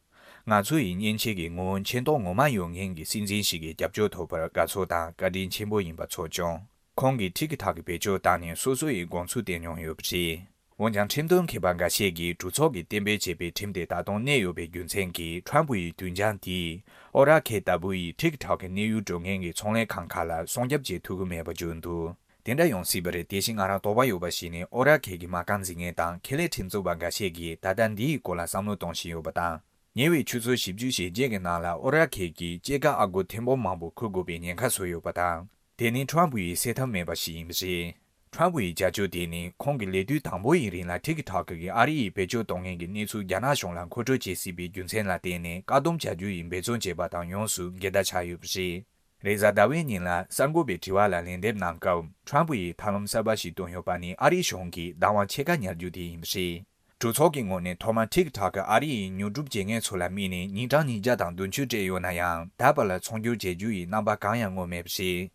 ང་ཚོ་ཡི་མཉེན་ཆས་ཀྱི་ངོ་བོ་མཁྱེན་རྟོགས་ངོ་མ་ཡོད་མཁན་གྱི་སྲིད་འཛིན་ཞིག་གི་རྒྱབ་སྐྱོར་ཐོབ་པར་དགའ་ཚོར་དང་བཀའ་དྲིན་ཆེན་པོ་ཡིན་པ་ཚོར་བྱུང་། ཁོང་གིས་ཊིག་ཊོག་གི་བེད་སྤྱོད་བཏང་ནས་སོ་སོ་ཡི་དགོངས་ཚུལ་བསྟན་མྱོང་ཡོད་པ་རེད། འོན་ཀྱང་། ཁྲིམས་དོན་མཁས་པ་འགའ་ཤས་ཀྱིས་གྲོས་ཚོགས་ཀྱིས་གཏན་འབེབས་བྱས་པའི་ཁྲིམས་དེ་ད་དུང་གནས་ཡོད་པའི་རྒྱུ་མཚན་གྱིས། ཁྲམ་ཕུ་ཡི་དུས་འགྱངས་དེས་ཨོ་ར་ཁེ་ལྟ་བུ་ཡི་ཊིག་ཊོག་གི་གནས་ཡུལ་སྤྲོད་མཁན་གྱི་ཚོང་ལས་ཁང་ཁག་ལ་སྲུང་སྐྱོབ་བྱེད་ཐུབ་ཀྱི་མེད་པ་བརྗོད་འདུག་དེ་འདྲ་ཡོང་སྲིད་པ་རེད། དེ་བཞིན་ང་རང་དོགས་པ་ཡོད་པ་ཞིག་ནི། ཨོ་ར་ཁེ་གི་མ་རྐང་འཛིན་མཁན་དང་ཁེ་ལས་ཁྲིམས་རྩོད་པ་འགའ་ཤས་ཀྱིས་ད་ལྟ་འདིའི་སྐོར་ལ་བསམ་བློ་གཏོང་བཞིན་ཡོད་པ་དང་། ཉེ་བའི་ཆུ་ཚོད་བཞི་བཅུ་ཞེ་བརྒྱད་ཀྱི་ནང་ལ་ཨོ་ར་ཁེ་གིས་སྐྱེད་ཀ་ཨ་སྒོར་ཐེར་འབུམ་མང་པོ་འཁུར་དགོས་པའི་ཉེན་ཁ་བཟོས་ཡོད་པ་དང་། དེ་ནི་ཁྲམ་ཕུ་ཡིས་སེལ་ཐབས་མེད་པ་ཞིག་ཡིན་པ་རེད། ཁྲམ་ཕུ་ཡི་བྱ་སྤྱོད་དེ་ནི་ཁོང་གི་ལས་དུས་དང་པོ་ཡི་རིང་ལ་ཊིག་ཊོག་གིས་ཨ་རི་ཡི་བེད་སྤྱོད་གཏོང་མཁན་གྱི་གནས་ཚུལ་རྒྱ་ནག་གཞུང་ལ་མཁོ་སྤྲོད་བྱེད་སྲིད་པའི་རྒྱུ་མཚན་ལ་བརྟེན་ནས་བཀག་སྡོམ་བྱ་རྒྱུ་ཡི་འབད་བརྩོན་བྱས་པ་དང་ཡོངས་སུ་འགལ་ཟླ་ཆགས་ཡོད་པ་རེད། རེས་གཟའ་ཟླ་བའི་ཉིན་ལ་གསར་འགོད་པའི་དྲི་བ་ལ་ལན་འདེབས་གནང་སྐབས། ཁྲམ་ཕུ་ཡིས་ཐབས་ལམ་གསར་པ་ཞིག་བཏོན་ཡོད་པ་ནི། ཨ་རིའི་གཞུང་གིས་བདག་དབང་ཕྱེད་ཀ་ཉར་རྒྱུ་དེ་ཡིན་པ་རེད། གྲོས་ཚོགས་ཀྱི་ངོས་ནས་ཐོག་མར་ཊིག་ཊོག་གིས་ཨ་རི་ཡི་ཉོ་སྒྲུབ་བྱེད་མཁན་ཚོ་ལ་དམིགས་ནས་ཉིན་གྲངས་ཉིས་བརྒྱ་དང་བདུན་ཅུ་སྤྲད་ཡོད་ན་ཡང་། ད་བར་ལ་ཚོང་སྒྱུར་བྱེད་རྒྱུ་ཡི་རྣམ་པ་གང་ཡང་མངོན་མེད་པ་རེད།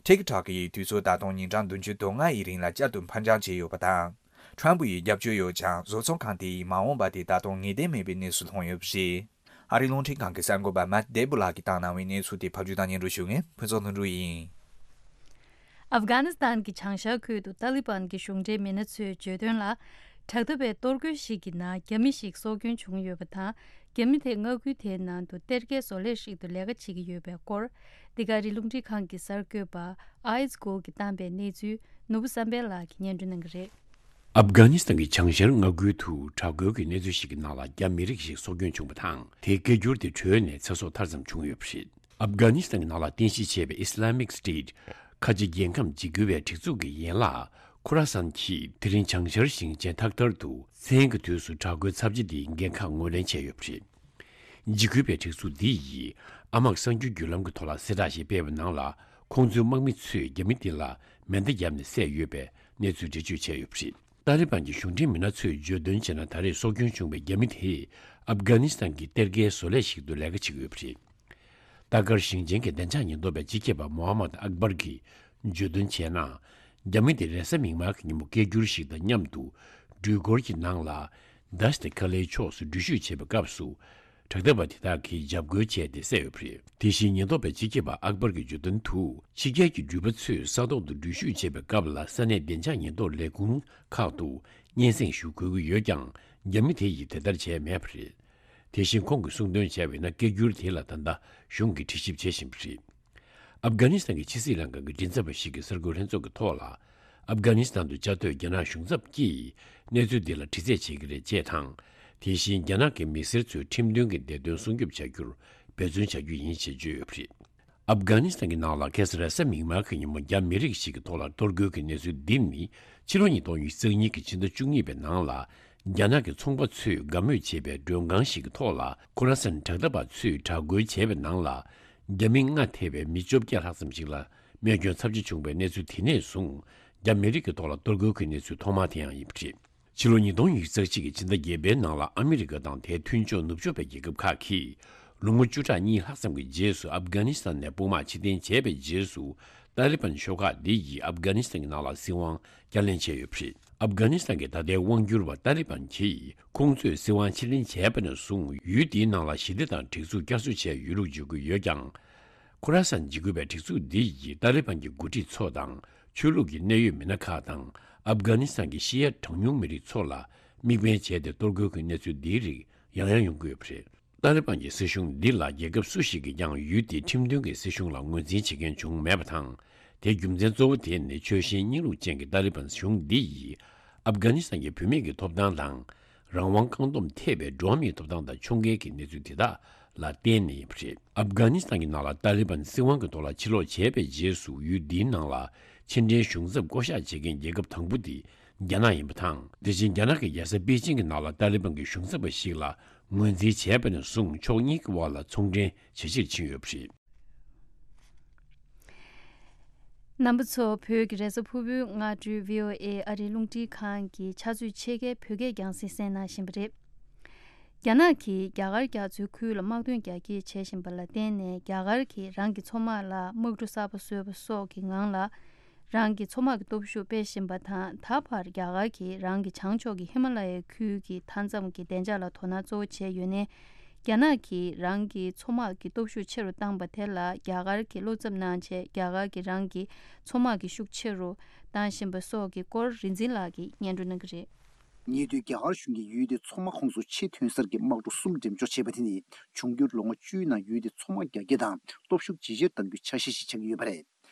ཊིག་ཊོག་གིས་དུས་ཚོད་ད་དུང་ཉིན་གྲངས་བདུན་ཅུ་དོན་ལྔ་ཡི་རིང་ལ་བསྐྱར་དུ་ཕར་འགྱངས་བྱས་ཡོད་པ་དང་། ཁྲམ་ཕུ་ཡིས་རྒྱབ་སྐྱོར་ཡོད་ཀྱང་། བཟོ་ཚོང་ཁང་དེ་ཡི་མ་འོངས་པ་དེ་ད་དུང་ངེས་གཏན་མེད་པའི་གནས་སུ་ལྷུང་ཡོད་པ་རེད། ཨ་རིའི་རླུང་འཕྲིན་ཁང་གི་གསར་འགོད་པ་མཱཊ་ཌེ་བྷུ་ལགས་ཀྱིས་བཏང་གནང་བའི་གནས་ཚུལ་དེ་ཕབ་སྒྱུར་དང་སྙན་སྒྲོན་ཞུ་མཁན་ཕུན་ཚོགས་ལྷུན་གྲུབ་ཡིན། ཨབ་གྷ་ནི་སི་ཐན་གྱི་བྱང་ཤར་ཁུལ་དུ་ཏཱ་ལི་བན་གྱི་གཞུང་འབྲེལ་མི་སྣ་ཚོས་བརྗོད་དོན་ལ། དྲག་འཐབ་པའི་གཏོར་རྒོལ་ཞིག་གི་ནང་རྒྱ་མི་ཞིག་སྲོག་སྐྱོན་བྱུང་ཡོད་པ་དང་། རྒྱ་མི་དེ་མངའ་ཁུལ་དེའི་ནང་དུ་གཏེར་ཁའི་བཟོ་ལས་ཤིག་ཏུ་ལས་ཀ་བྱེད་ཀྱི་ཡོད་པའི་སྐོར། འདི་ག་རི་རླུང་འཕྲིན་ཁང་གི་གསར་འགོད་པ་ཨའི་ཛི་གོ་གིས་བཏང་པའི་གནས་ཚུལ་ནོར་བུ་བསམ་འཕེལ་ལགས་ཀྱིས་སྙན་སྒྲོན་གནང་གི་རེད། ཨབ་གྷ་ནི་སི་ཐན་གྱི་བྱང་ཤར་མངའ་ཁུལ་དུ་དྲག་རྒོལ་གྱི་གནས་ཚུལ་ཞིག་གི་ནང་ལ་རྒྱ་མི་རིགས་ཤིག་སྲོག་སྐྱོན་བྱུང་བ་དང་། དེ་སྐད་སྒྱུར་དེ་བྲོས་ནས་ཚེ་སྲོག་ཐར་ཙམ་བྱུང་ཡོད་པ་རེད། ཨབ་གྷ་ནི་སི་ཐན་གྱི་ནང་ལ་རྟེན་གཞི་བྱས་པའི་Islamic State ཁ་ཆེ་རྒྱལ་ཁམས་འཇིགས་སྐུལ་བའི་སྒྲིག་འཛུགས་ཀྱི་ཡན་ལག་ཁུ་ར་སན་གྱིས་དེ་རིང་བྱང་ཤར་ཞིང་ཆེན་ཐག་ཐར་དུ་མཚན་གྱི་དུས་སུ་དྲག་རྒོལ་ཚབས་ཆེ་འདིའི་འགན་ཁག་ངོས་ལེན་བྱས་ཡོད་པ་རེད། འཇིགས་སྐུལ་བའི་སྒྲིག་འཛུགས་འདི་ཡིས་ཨ་མག་གསར་འགྱུར་བརྒྱུད་ལམ་གྱི་ཐོག་ལ་གསལ་བསྒྲགས་ཤིག་སྤེལ་བའི་ནང་ལ། ཁོང་ཚོའི་དམག་མི་ཚོས་རྒྱ་མི་དེ་ལ་མེ་མདའ་བརྒྱབ་ནས་བསད་ཡོད་པའི་གནས་ཚུལ་འགྲེལ་བརྗོད་བྱས་ཡོད་པ་རེད། ཏཱ་ལི་བན་གྱི་གཞུང་འབྲེལ་མི་སྣ་ཚོས་བརྗོད་དོན་བྱས་ན། ད་རེས་སྲོག་སྐྱོན་བྱུང་བའི་རྒྱ་མི་དེས་ཨབ་གྷ་ནི་སི་ཐན་གྱི་གཏེར་ཁའི་བཟོ་ལས་ཤིག་ཏུ་ལས་ཀ་བྱེད་ཀྱི་ཡོད་པ་རེད། ཏཱ་ཀར་ཞིང་ཆེན་གྱི་བདེ་འཇགས་ཉེན་རྟོག་པའི་སྤྱི་ཁྱབ་པ་མོ་ཧ་མད་ཨག་བར་གྱིས་བརྗོད་དོན་བྱས་ན། རྒྱ་མི་དེ་རེས་གཟའ་མིག་དམར་གྱི་ཉིན་མོ་སྐད་སྒྱུར་ཞིག་དང་མཉམ་དུ་འགྲུལ་འཁོར་གྱི་ནང་ལ་དཱ་ཤི་ཏི་ཁ་ལའི་ཕྱོགས་སུ་འགྲུལ་བཞུད་བྱེད་པའི་སྐབས་སུ། དྲག་འཐབ་པ་དེ་དག་གིས་འཇབ་རྒོལ་བྱས་ཏེ་བསད་ཡོད་པ་རེད། དེ་བཞིན་ཉེན་རྟོག་པའི་སྤྱི་ཁྱབ་པ་ཨག་བར་གྱིས་བརྗོད་དོན་དུ། ཕྱི་རྒྱལ་གྱི་འགྲུལ་པ་ཚོས་ས་ཐོག་ཏུ་འགྲུལ་བཞུད་བྱེད་པའི་སྐབས་ལ་ས་གནས་བདེ་འཇགས་ཉེན་རྟོག་ལས་ཁུངས་ཁག་ཏུ་སྙན་སེང་ཞུ་དགོས་ཀྱི་ཡོད་ཀྱང་། རྒྱ་མི་དེ་ཡིས་དེ་ལྟར་བྱས་མེད་པ་རེད། དེ་བཞིན་ཁོང་གིས་གསུངས་དོན་བྱས་པ་ཡིན་ན། སྐད་སྒྱུར་དེ་ལ་ད་ལྟ་གཞུང་གིས་དྲི་ཞིབ་བྱེད་བཞིན་པ་རེད། ཨབ་གྷ་ནི་སི་ཐན་གྱི་ཕྱི་སྲིད་ལྷན་ཁང་གི་མགྲིན་ཚབ་པ་ཞིག་གིས་གསར་འགོད་ལྷན་ཚོགས་ཀྱི་ཐོག་ལ། ཨབ་གྷ་ནི་སི་ཐན་དུ་བཅའ་སྡོད་རྒྱ་ནག་གཞུང་ཚབ་ཀྱིས་གནས་ཚུལ་འདི་ལ་དྲི་རྩད་བྱེད་ཀྱི་རེད་ཅེས་དང་། དེ་བཞིན་རྒྱ་ནག་གི་མི་སེར་ཚོའི་ཁྲིམས་མཐུན་གྱི་བདེ་དོན་སྲུང་སྐྱོབ་བྱ་རྒྱུར་འབད་བརྩོན་བྱ་རྒྱུ་ཡིན་ཞེས་བརྗོད་ཡོད་པ་རེད། ཨབ་གྷ་ནི་སི་ཐན་གྱི་ནང་ལ་ཁ་སང་རེས་གཟའ་མིག་དམར་གྱི་ཉིན་མོ་རྒྱ་མི་རིགས་ཤིག་གི་ཐོག་ལ་གཏོར་རྒོལ་གྱི་གནས་ཚུལ་འདི་ནི། ཕྱི་ལོ་ཉིས་སྟོང་ཉི་ཤུ་རྩ་གཉིས་ཀྱི་ཕྱི་ཟླ་བཅུ་གཉིས་པའི་ནང་ལ། རྒྱ་ནག་གི་ཚོང་པ་ཚོས་དགའ་མོས་བྱེད་པའི་མགྲོན་ཁང་ཞིག་གི་ཐོག་ལ། ཁོ་ར་སན་དྲག་འཐབ་པ་ཚོས་དྲག་རྒོལ་བྱས་པའི་ནང་ལ། རྒྱ་མི་ལྔ་ཐེ་བའི་མི་བཅོ་བརྒྱད་ལྷག་ཙམ་ཞིག་ལ་རྨས་སྐྱོན་ཚབས་ཆེ་བྱུང་བའི་གནས་ཚུལ། དེ་ནས་བཟུང་རྒྱ་མི་རིགས་ཀྱི་ཐོག་ལ་གཏོར་རྒོལ་གྱི་གནས་ཚུལ་ཐོག་མ་དེ་ཡང་ཡིན་པ་རེད། ཕྱི་ལོ་ཉིས་སྟོང་ཉི་ཤུ་རྩ་གཅིག་གི་ཕྱི་ཟླ་བརྒྱད་པའི་ནང་ལ། ཨ་མི་རི་ཀ་དང་དེའི་མཐུན་ཕྱོགས་ནུབ་ཕྱོགས་པའི་རྒྱལ་ཁབ་ཁག་གིས་ལོ་ངོ་བཅུ་ཕྲག་གཉིས་ལྷག་ཙམ་གྱི་རྗེས་སུ་ཨབ་གྷ་ནི་སི་ཐན་ནས་དཔུང་དམག་ཕྱིར་འཐེན་བྱས་པའི་རྗེས་སུ། ཏཱ་ལི་བན་ཤོག་ཁག་འདི་ཡིས་ཨབ་གྷ་ནི་སི་ཐན་གྱི་ནང་ལ་སྲིད་དབང་བསྐྱར་ལེན་བྱས་ཡོད་པ་རེད། ཨབ་གྷ་ནི་སི་ཐན་གྱི་ད་ལྟའི་དབང་སྒྱུར་བ་ཏཱ་ལི་བན་གྱིས། ཁོང་ཚོས་སྲིད་དབང་ཕྱིར་ལེན་བྱས་པ་ནས་བཟུང་ཡུལ་འདིའི་ནང་ལ་ཞི་བདེ་དང་སྒྲིག་འཛུགས་བསྐྱར་གསོ་བྱས་ཡོད་ལུགས་བརྗོད་ཀྱི་ཡོད་ཀྱང་། ཁོ་ར་སན་འཇིགས་སྐུལ་བའི་སྒྲིག་འཛུགས་འདི་ཡིས་ཏཱ་ལི་བན་གྱི་འགོ་ཁྲིད་ཚོ་དང་། ཆོས་ལུགས་ཀྱི་གནད་ཡོད་མི་སྣ་ཁག་དང་། ཨབ་གྷ་ནི་སི་ཐན་གྱི་ཤི་ཡ་གྲངས་ཉུང་མི་རིགས་ཚོ་ལ་དམིགས་འབེན་བྱས་ཏེ་གཏོར་རྒོལ་གྱི་གནས་ཚུལ་འདིའི་རིགས་ཡང་ཡང་ཡོང་གི་ཡོད་པ་རེད། ཏཱ་ལི་བན་གྱི་སྲིད་གཞུང་འདི་ལ་རྒྱལ་ཁབ་སུ་ཞིག་གིས་ཀྱང་ཡུལ་དེའི་ཁྲིམས་མཐུན་གྱི་སྲིད་གཞུང་ལ་ངོས་འཛིན་བྱེད་མཁན་བྱུང་མེད་པ་དང་། དེའི་རྒྱུ་མཚན་གཙོ་བོ་དེ་ནི་ཆོལ་ཞེན་སྙིང་རུས་ཅན་གྱི་ཏཱ་ལི་བན་གཞུང་འདི་ཡིས་ཨབ་གྷ་ནི་སི་ཐན་གྱི་བུད་མེད་ཀྱི་ཐོབ་ཐང་དང་། རང་དབང་བཀག་སྡོམ་ཐེབས་པའི་འགྲོ་བ་མིའི་ཐོབ་ཐང་དང་ཕྱོགས་འགལ་གྱི་གནས་ཚུལ་དེ་དག་ལ་བརྟེན་ནས་ཡིན་པ་རེད། ཨབ་གྷ་ནི་སི་ཐན་གྱི་ནང་ལ་ཏཱ་ལི་བན་སྲིད་དབང་གི་ཐོག་ལ་ཕྱིར་ལོག་བྱས་པའི་རྗེས་སུ། ཡུལ་འདིའི་ནང་ལ་ཕྱི་འབྲེལ་གཞུང་ཚབ་བསྐོ་གཞག་བྱེད་མཁན་རྒྱལ་ཁབ་དང་པོ་དེ་རྒྱ་ནག་ཡིན་པ་དང་། དེ་བཞིན་རྒྱ་ནག་གི་རྒྱལ་ས་པེ་ཅིང་གི་ནང་ལ་ཏཱ་ལི་བན་གྱི་གཞུང་ཚབ་པ་ཞིག་ལ་ངོས་འཛིན་བྱས་པ་ནས་བཟུང་ཕྱོགས་གཉིས་ཀྱི་དབར་ལ་ཚོང་འབྲེལ་ཇེ་ཆེར་ཕྱིན་ཡོད་པ་རེད། རྣམ་པ་ཚོ། བོད་ཀྱི་རེས་གཟའ་ཕུར་བུའི་སྔ་དྲོའི་བྷི་ཨོ་ཨེ་ཨ་རིའི་རླུང་འཕྲིན་ཁང་གི་ཕྱག་ཚོད་ཕྱེད་ཀའི་བོད་སྐད་རྒྱང་སྲིང་གསན་གནང་བཞིན་པ་རེད། རྒྱ་ནག་གིས་རྒྱ་གར་རྒྱ་མཚོའི་ཁུལ་ལ་དམག་དོན་རྒྱ་སྐྱེད་བྱེད་བཞིན་པ་ལ་བརྟེན་ནས། རྒྱ་གར་གྱིས་རང་གི་མཚོ་དམག་ལ་དམག་གྲུ་གསར་པ་བཟོས་པ་སོགས་ཀྱི་ངང་ལ་རང་གི་མཚོ་དམག་གི་སྟོབས་ཤུགས་སྤེལ་བཞིན་པ་དང་། ད་བར་རྒྱ་གར་གྱིས་རང་གི་བྱང་ཕྱོགས་ཀྱི་ཧི་མ་ལ་ཡའི་ཁུལ་གྱི་མཐའ་མཚམས་ཀྱི་བདེ་འཇགས་ལ་དོ་སྣང་གཙོ་བོ་བྱས་ཡོད་ནའི། རྒྱ་ནག་གིས་རང་གི་མཚོ་དམག་གི་སྟོབས་ཤུགས་ཆེ་རུ་བཏང་པ་དེ་ལ་རྒྱ་གར་གྱིས་བློ་འཚབ་གནང་བྱས། རྒྱ་གར་གྱིས་རང་གི་མཚོ་དམག་གི་ཤུགས་ཆེ་རུ་བཏང་བཞིན་པ་སོགས་ཀྱི་སྐོར་རིག་འཛིན་ལགས་ཀྱིས་སྙན་སྒྲོན་གནང་གི་རེད། ཉེ་དུས་རྒྱ་གར་གཞུང་གིས་ཡུལ་དེའི་མཚོ་དམག་ཁོངས་སུ་ཆེས་ཐོན་གསར་གྱི་དམག་གྲུ་གསུམ་འགྲེམས་འཇོག་བྱས་པ་དེ་ནི། འབྱུང་འགྱུར་ལོ་ངོ་བཅུའི་ནང་ཡུལ་དེའི་མཚོ་དམག་རྒྱ་སྐྱེད་དང་སྟོབས་ཤུགས་ཇེ་ཆེར་གཏང་རྒྱུའི་འཆར་གཞི་ཞིག་ཆགས་ཀྱི་ཡོད་པ་རེད།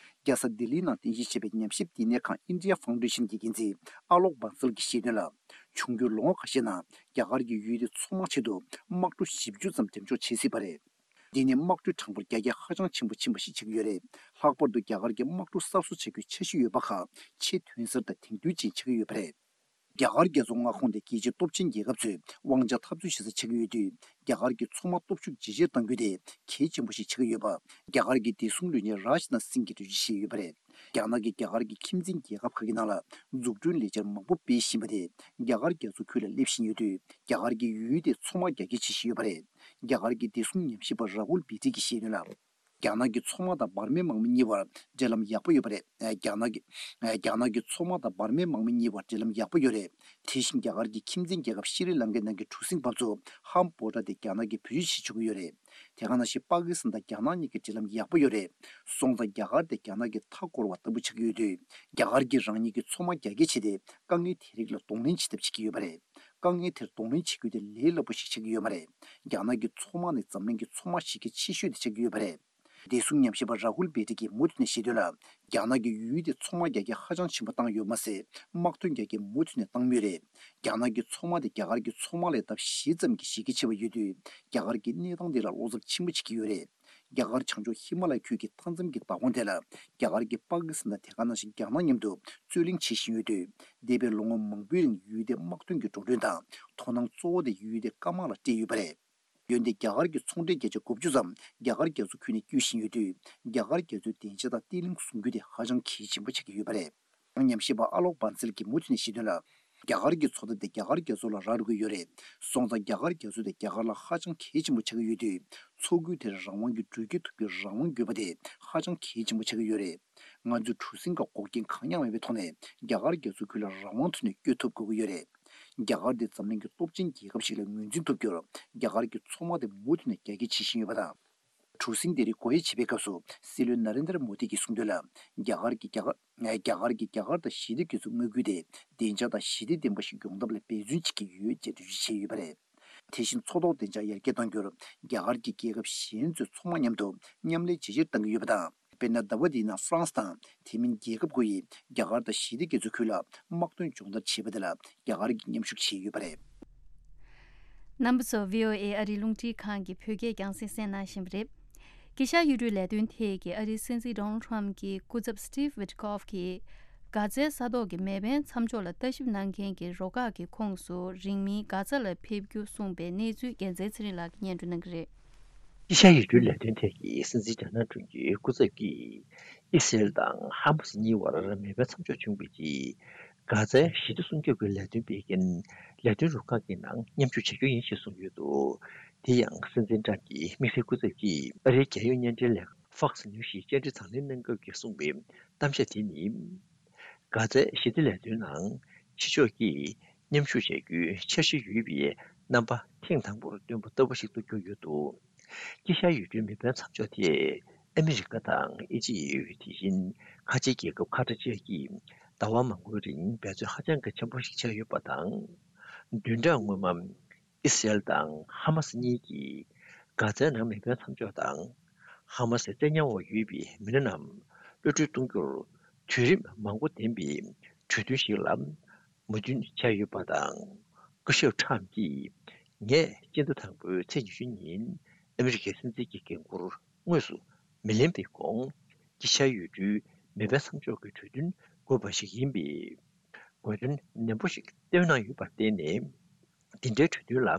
རྒྱལ་ས་ལྡི་ལིའི་ནང་རྟེན་གཞི་བྱས་པའི་ཉམས་ཞིབ་བསྟི་གནས་ཁང་ཨིན་ཌི་ཡ་ཕའུན་ཌེ་ཤན་གྱི་འགན་འཛིན་ཨ་ལོག་བྷན་སལ་གྱིས་བཤད་དོན་ལ། འབྱུང་འགྱུར་ལོ་ངོ་ཁ་ཤས་ནང་རྒྱ་གར་གྱིས་ཡུལ་དེའི་མཚོ་དམག་ཆེད་དུ་དམག་གྲུ་བཞི་བཅུ་ཙམ་འགྲེམས་འཇོག་བྱེད་སྲིད་པ་རེད། འདི་ནི་དམག་གྲུའི་གྲངས་འབོར་རྒྱ་སྐྱེད་ཧ་ཅང་ཆེན་པོ་ཕྱིན་པ་ཞིག་ཆགས་ཀྱི་ཡོད་རེད། ལྷག་པར་དུ་རྒྱ་གར་གྱི་དམག་གྲུ་གསར་བཟོ་བྱ་རྒྱུའི་འཆར་གཞི་ཡོད་པ་ཁག་ཆེས་ཐོན་གསར་དང་དེང་དུས་ཅན་ཆགས་ཀྱི་ཡོད་པ་རེད། རྒྱ་གར་རྒྱ་མཚོ་མངའ་ཁོངས་དེ་རྒྱལ་སྤྱིའི་སྟོབས་ཆེན་རྒྱལ་ཁབ་ཚོས་དབང་ཆ་འཐབ་རྩོད་བྱེད་ས་ཆགས་ཀྱི་ཡོད་དུས། རྒྱ་གར་གྱི་མཚོ་དམག་སྟོབས་ཤུགས་ཇེ་ཆེར་གཏང་རྒྱུ་དེ་གལ་ཆེན་པོ་ཞིག་ཆགས་ཀྱི་ཡོད་པ། རྒྱ་གར་གྱི་བདེ་སྲུང་བློན་ཆེན་རཱཇ་ནཱཐ་སིང་གིས་འགྲེལ་བརྗོད་བྱས་ཡོད་པ་རེད། རྒྱ་ནག་གིས་རྒྱ་གར་གྱི་ཁྱིམ་མཚེས་རྒྱལ་ཁབ་ཁག་གི་ནང་ལ་འཛུགས་སྐྲུན་ལས་འཆར་མང་པོ་སྤེལ་བཞིན་པ་དེ་རྒྱ་གར་རྒྱ་མཚོ་ཁུལ་ལ་སླེབས་བཞིན་ཡོད་དུས། རྒྱ་གར་གྱིས་ཡུལ་དེའི་མཚོ་དམག་རྒྱ་སྐྱེད་བྱེད་བཞིན་ཡོད་པ་རེད། རྒྱ་གར་གྱི་བདེ་སྲུང་ཉམས་ཞིབ་པ་ར་ཧུལ་བི་ཏི་གིས་བཤད་དོན་ལ། རྒྱ་ནག་གི་མཚོ་དམག་དང་འབར་མའི་དམག་མི་གཉིས་བར་འབྲེལ་ལམ་ཡག་པོ་ཡོད་པ་རེད། རྒྱ་ནག་གི་རྒྱ་ནག་གི་མཚོ་དམག་དང་འབར་མའི་དམག་མི་གཉིས་བར་འབྲེལ་ལམ་ཡག་པོ་ཡོད་རེད། དེ་བཞིན་རྒྱ་གར་གྱི་ཁྱིམ་མཚེས་རྒྱལ་ཁབ་ཤྲི་ལང་ཀའི་ནང་གི་གྲུ་གཟིངས་འབབ་ཚུགས་ཧམ་བྷོ་ཊ་དེ་རྒྱ་ནག་གིས་བེད་སྤྱོད་བྱེད་ཆོག་གི་ཡོད་རེད། དེ་ག་ནང་བཞིན་པ་ཀི་སི་ཐན་དང་རྒྱ་ནག་གཉིས་ཀྱི་འབྲེལ་ལམ་ཡག་པོ་ཡོད་རེད། སོང་ཙང་རྒྱ་གར་དེ་རྒྱ་ནག་གི་མཐའ་བསྐོར་བ་ལྟ་བུ་ཆགས་ཀྱི་ཡོད་དུས། རྒྱ་གར་གྱིས་རང་ཉིད་ཀྱི་མཚོ་དམག་རྒྱ་སྐྱེད་བྱས་ཏེ་དཀའ་ངལ་དེ་རིགས་ལ་གདོང་ལེན་བྱེད་ཐབས་བྱེད་ཀྱི་ཡོད་པ་རེད། དཀའ་ངལ་དེར་གདོང་ལེན་བྱེད་རྒྱུ་དེ་ལས་སླ་པོ་ཞིག་ཆགས་ཀྱི་ཡོད་མ་རེད། རྒྱ་ནག་གི་མཚོ་དམག་ནི་འཛམ་གླིང་གི་མཚོ་དམག་གཞི་རྒྱ་ཆེ་ཤོས་དེ་ཆགས་ཀྱི་ཡོད་པ་རེད། བདེ་སྲུང་ཉམས་ཞིབ་པ་ར་ཧུལ་བེ་ཏི་གིས་མུ་མཐུད་ནས་བཤད་དོན་ལ། རྒྱ་ནག་གིས་ཡུལ་དེའི་མཚོ་དམག་རྒྱ་སྐྱེད་ཧ་ཅང་ཆེན་པོ་བཏང་ཡོད་མ་ཟད། དམག་དོན་རྒྱ་སྐྱེད་མུ་མཐུད་ནས་བཏང་མུས་རེད། རྒྱ་ནག་གི་མཚོ་དམག་དེ་རྒྱ་གར་གྱི་མཚོ་དམག་ལས་ལྡབ་བཞི་ཙམ་གྱིས་གཞི་རྒྱ་ཆེ་བ་ཡོད་དུས། རྒྱ་གར་གྱིས་གནས་སྟངས་དེ་ལ་བློ་འཚབ་ཆེན་པོ་བྱེད་ཀྱི་ཡོད་རེད། རྒྱ་གར་བྱང་ཕྱོགས་ཧི་མ་ལ་ཡའི་ཁུལ་གྱི་མཐའ་མཚམས་ཀྱི་མདའ་དཔོན་དེ་ལ། རྒྱ་གར་གྱིས་པ་ཀི་སི་ཐན་དང་དེ་ག་ནང་བཞིན་རྒྱ་ནག་མཉམ་དུ་རྩོད་གླེང་བྱེད་བཞིན་ཡོད་དུས། འདས་པའི་ལོ་ངོ་མང་པོའི་རིང་ཡུལ་དེའི་དམག་དོན་གྱི་འགྲོ་གྲོན་དང་དོ་སྣང་གཙོ་བོ་དེ་ཡུལ་དེའི་སྐམ་དམག་ལ་སྤྲད་ཡོད་པ་རེད། འོན་ཏེ་རྒྱ་གར་གྱི་ཚོང་འབྲེལ་བརྒྱ་ཆ་དགུ་བཅུ་ཙམ་རྒྱ་གར་རྒྱ་མཚོ་ཁུལ་ནས་སྐྱོད་བཞིན་ཡོད་དུས། རྒྱ་གར་རྒྱ་མཚོའི་བདེ་འཇགས་དང་བརྟན་ལྷིང་སྲུང་སྐྱོབ་དེ་ཧ་ཅང་གལ་ཆེན་པོ་ཆགས་ཀྱི་ཡོད་པ་རེད། ཉམས་ཞིབ་པ་ཨ་ལོག་བྷན་སལ་གྱིས་མུ་མཐུད་ནས་བཤད་དོན་ལ། རྒྱ་གར་གྱི་མཚོ་ཐབས་དེ་རྒྱ་གར་རྒྱ་མཚོ་ལ་རག་འགྲོ་གི་ཡོད་རེད། སོང་ཙང་རྒྱ་གར་རྒྱ་མཚོ་དེ་རྒྱ་གར་ལ་ཧ་ཅང་གལ་ཆེན་པོ་ཆགས་ཀྱི་ཡོད་དུས། མཚོ་ཁུལ་དེར་རང་དབང་གི་འགྲུལ་སྐྱོད་ཐུབ་རྒྱུའི་རང་དབང་དགོས་པ་དེ་ཧ་ཅང་གལ་ཆེན་པོ་ཆགས་ཀྱི་ཡོད་རེད། ང་ཚོས་གྲུ་གཟིངས་ཁག་འགོག་རྐྱེན་གང་ཡང་མེད་པའི་ཐོག་ནས་རྒྱ་གར་རྒྱ་མཚོ་ཁུལ་ལ་རང་དབང་ཐོག་ནས་སྐྱོད་ཐུབ་དགོས་ཀྱི་ཡོད་རེད། རྒྱ་གར་དེ་འཛམ་གླིང་གི་སྟོབས་ཆེན་རྒྱལ་ཁབ་ཞིག་ལ་ངོས་འཛིན་ཐུབ་རྒྱུར། རྒྱ་གར་གྱི་མཚོ་དམག་དེ་མུ་མཐུད་ནས་རྒྱ་སྐྱེད་བྱེད་བཞིན་ཡོད་པ་དང་། གྲུ་གཟིངས་དེ་རིགས་སྒོ་དབྱེ་བྱེད་པའི་སྐབས་སུ། སྲིད་བློན་ན་རེན་དར་མོ་དི་གིས་གསུངས་དོན་ལ། རྒྱ་གར་གྱི་རྒྱ་གར། རྒྱ་གར་གྱི་རྒྱ་གར་དང་ཞི་བདེ་སྐྱོང་ཚོགས་དངུལ་ཁུལ་དེ་བདེ་འཇགས་དང་ཞི་བདེ་ལྡན་པ་ཞིག་ཡོང་ཐབས་ལ་འབད་བརྩོན་བྱེད་ཀྱི་ཡོད་ཅེས་འགྲེལ་བརྗོད་བྱས་ཡོད་པ་རེད། དེ་བཞིན་མཚོ་ཐོག་བདེ་འཇགས་ཡར་རྒྱས་གཏང་རྒྱུར་རྒྱ་གར་གྱི་རྒྱལ་ཁབ་གཞན་ཚོའི་མཚོ་དམག་མཉམ་དུ་མཉམ་ལས་བྱེད་ཕྱིར་བཏང་གི་ཡོད་པ་དང་། དཔེར་ན། ཟླ་བ་འདིའི་ནང་ཧྥ་རན་སི་དང་དེ་མིན་རྒྱལ་ཁབ་དགུ་ཡིས་རྒྱ་གར་དང་ཞི་བདེ་རྒྱ་མཚོའི་ཁུལ་ལ་དམག་དོན་སྦྱོང་བརྡར་བྱས་པ་དེ་ལ་རྒྱ་གར་གྱིས་མཉམ་ཞུགས་བྱས་ཡོད་པ་རེད། རྣམ་པ་ཚོ། བྷི་ཨོ་ཨེ་ཨ་རིའི་རླུང་འཕྲིན་ཁང་གི་བོད་སྐད་རྒྱང་སྲིང་གསན་གནང་བཞིན་པ་རེད། དཀྱིལ་ཤར་ཡུལ་གྲུའི་ལས་དོན་ཐད་ཀྱི་ཨ་རིའི་སྲིད་འཛིན་ཌོ་ནལ་ཌི་ཊརམ་གྱི་སྐུ་ཚབ་སི་ཊིབ་ཝིཊ་ཁོབ་ཀྱིས། གྷ་ཛའི་ས་ཐོག་གི་མེ་འཕེན་མཚམས་འཇོག་ལ་ལྟ་ཞིབ་གནང་མཁན་གྱི་རུ་ཁག་གི་ཁོངས་སུ་རིང་མིན་གྷ་ཛ་ལ་ཕེབས་རྒྱུ་གསུངས་པའི་གནས་ཚུལ། རྒྱལ་མཚན་ཚེ་རིང་ལགས་ཀྱིས་སྙན་སྒྲོན་གནང་གི་རེད། དཀྱིལ་ཤར་ཡུལ་གྲུའི་ལས་དོན་ཐད་ཀྱི་སྲིད་འཛིན་ཌོ་ནལ་ཌི་ཊརམ་གྱི་སྐུ་ཚབ་ཀྱིས། ཨི་སི་རེལ་དང་ཧ་མ་སི་གཉིས་བར་མེ་འཕེན་མཚམས་འཇོག་བྱུང་བའི་རྗེས། གྷ་ཛའི་ཞི་བདེ་སྲུང་སྐྱོབ་ཀྱི་ལས་དོན་སྤེལ་མཁན་ལས་དོན་རུ་ཁག་གི་ནང་མཉམ་ཞུགས་བྱ་རྒྱུ་ཡིན་ཞེས་གསུངས་ཡོད་འདུག་དེ་ཡང་སྲིད་འཛིན་ཊརམ་གྱི་དམིགས་བསལ་སྐུ་ཚབ་ཀྱིས་ཨ་རིའི་རྒྱལ་ཡོངས་བརྙན་འཕྲིན་ལས་ཁང་Fox News ཞིག་བཅར་འདྲི་དང་ལེན་གནང་སྐབས་ཀྱི་གསུངས་པའི་གཏམ་བཤད་དེ་ནི། གྷ་ཛའི་ཞི་བདེ་ལས་དོན་ནང་ཕྱི་ཕྱོགས་ཀྱིས་མཉམ་ཞུགས་བྱ་རྒྱུའི་འཆར་གཞི་ཡོད་པའི་རྣམ་པ་ཐེངས་དང་པོར་བཏོན་པ་ལྟ་བུ་ཞིག་ཏུ་གྱུར་ཡོད་འདུག་དཀྱིལ་ཤར་ཡུལ་གྲུའི་མེ་འཕེན་མཚམས་འཇོག་དེ་ཨ་མི་རི་ཀ་དང་ཨི་ཇིབ། དེ་བཞིན་ཁ་ཆེའི་རྒྱལ་ཁབ་ཁ་ཏར་བཅས་ཀྱིས་ཟླ་བ་མང་པོའི་རིང་འབད་བརྩོན་ཧ་ཅང་གི་ཆེན་པོ་ཞིག་བྱས་ཡོད་པ་དང་། བདུན་ཕྲག་སྔོན་མ། ཨི་སི་རེལ་དང་ཧ་མ་སི་གཉིས་ཀྱིས་གྷ་ཛའི་ནང་མེ་འཕེན་མཚམས་འཇོག་དང་། ཧ་མ་སིའི་བཙན་ཉར་འོག་ཡོད་པའི་མི་སྣ་རྣམས་གློད་གྲོལ་གཏོང་རྒྱུར་དུས་རིམ་མང་པོ་ལྡན་པའི་གྲོས་མཐུན་ཞིག་ལ་མོས་མཐུན་བྱས་ཡོད་པ་དང་། སྐུ་ཞབས་ཁྲམ་གྱིས། ངས་སྤྱི་ཟླ་དང་པོའི་ཚེས་ཉི་ཤུ་ཉིན་ཨ་མི་རི་ཀའི་སྲིད་འཛིན་གྱི་འགན་འཁུར་དངོས་སུ་མི་ལེན་པའི་གོང་། དཀྱིལ་ཤར་ཡུལ་གྲུའི་མེ་འཕེན་མཚམས་འཇོག་གི་གྲོས་མཐུན་དགོས་པ་ཞིག་ཡིན་པས། དགོས་འདུན་ནན་པོ་ཞིག་བཏོན་གནང་ཡོད་པར་བརྟེན་ནས། འདི་འདྲའི་གྲོས་མཐུན་ལ་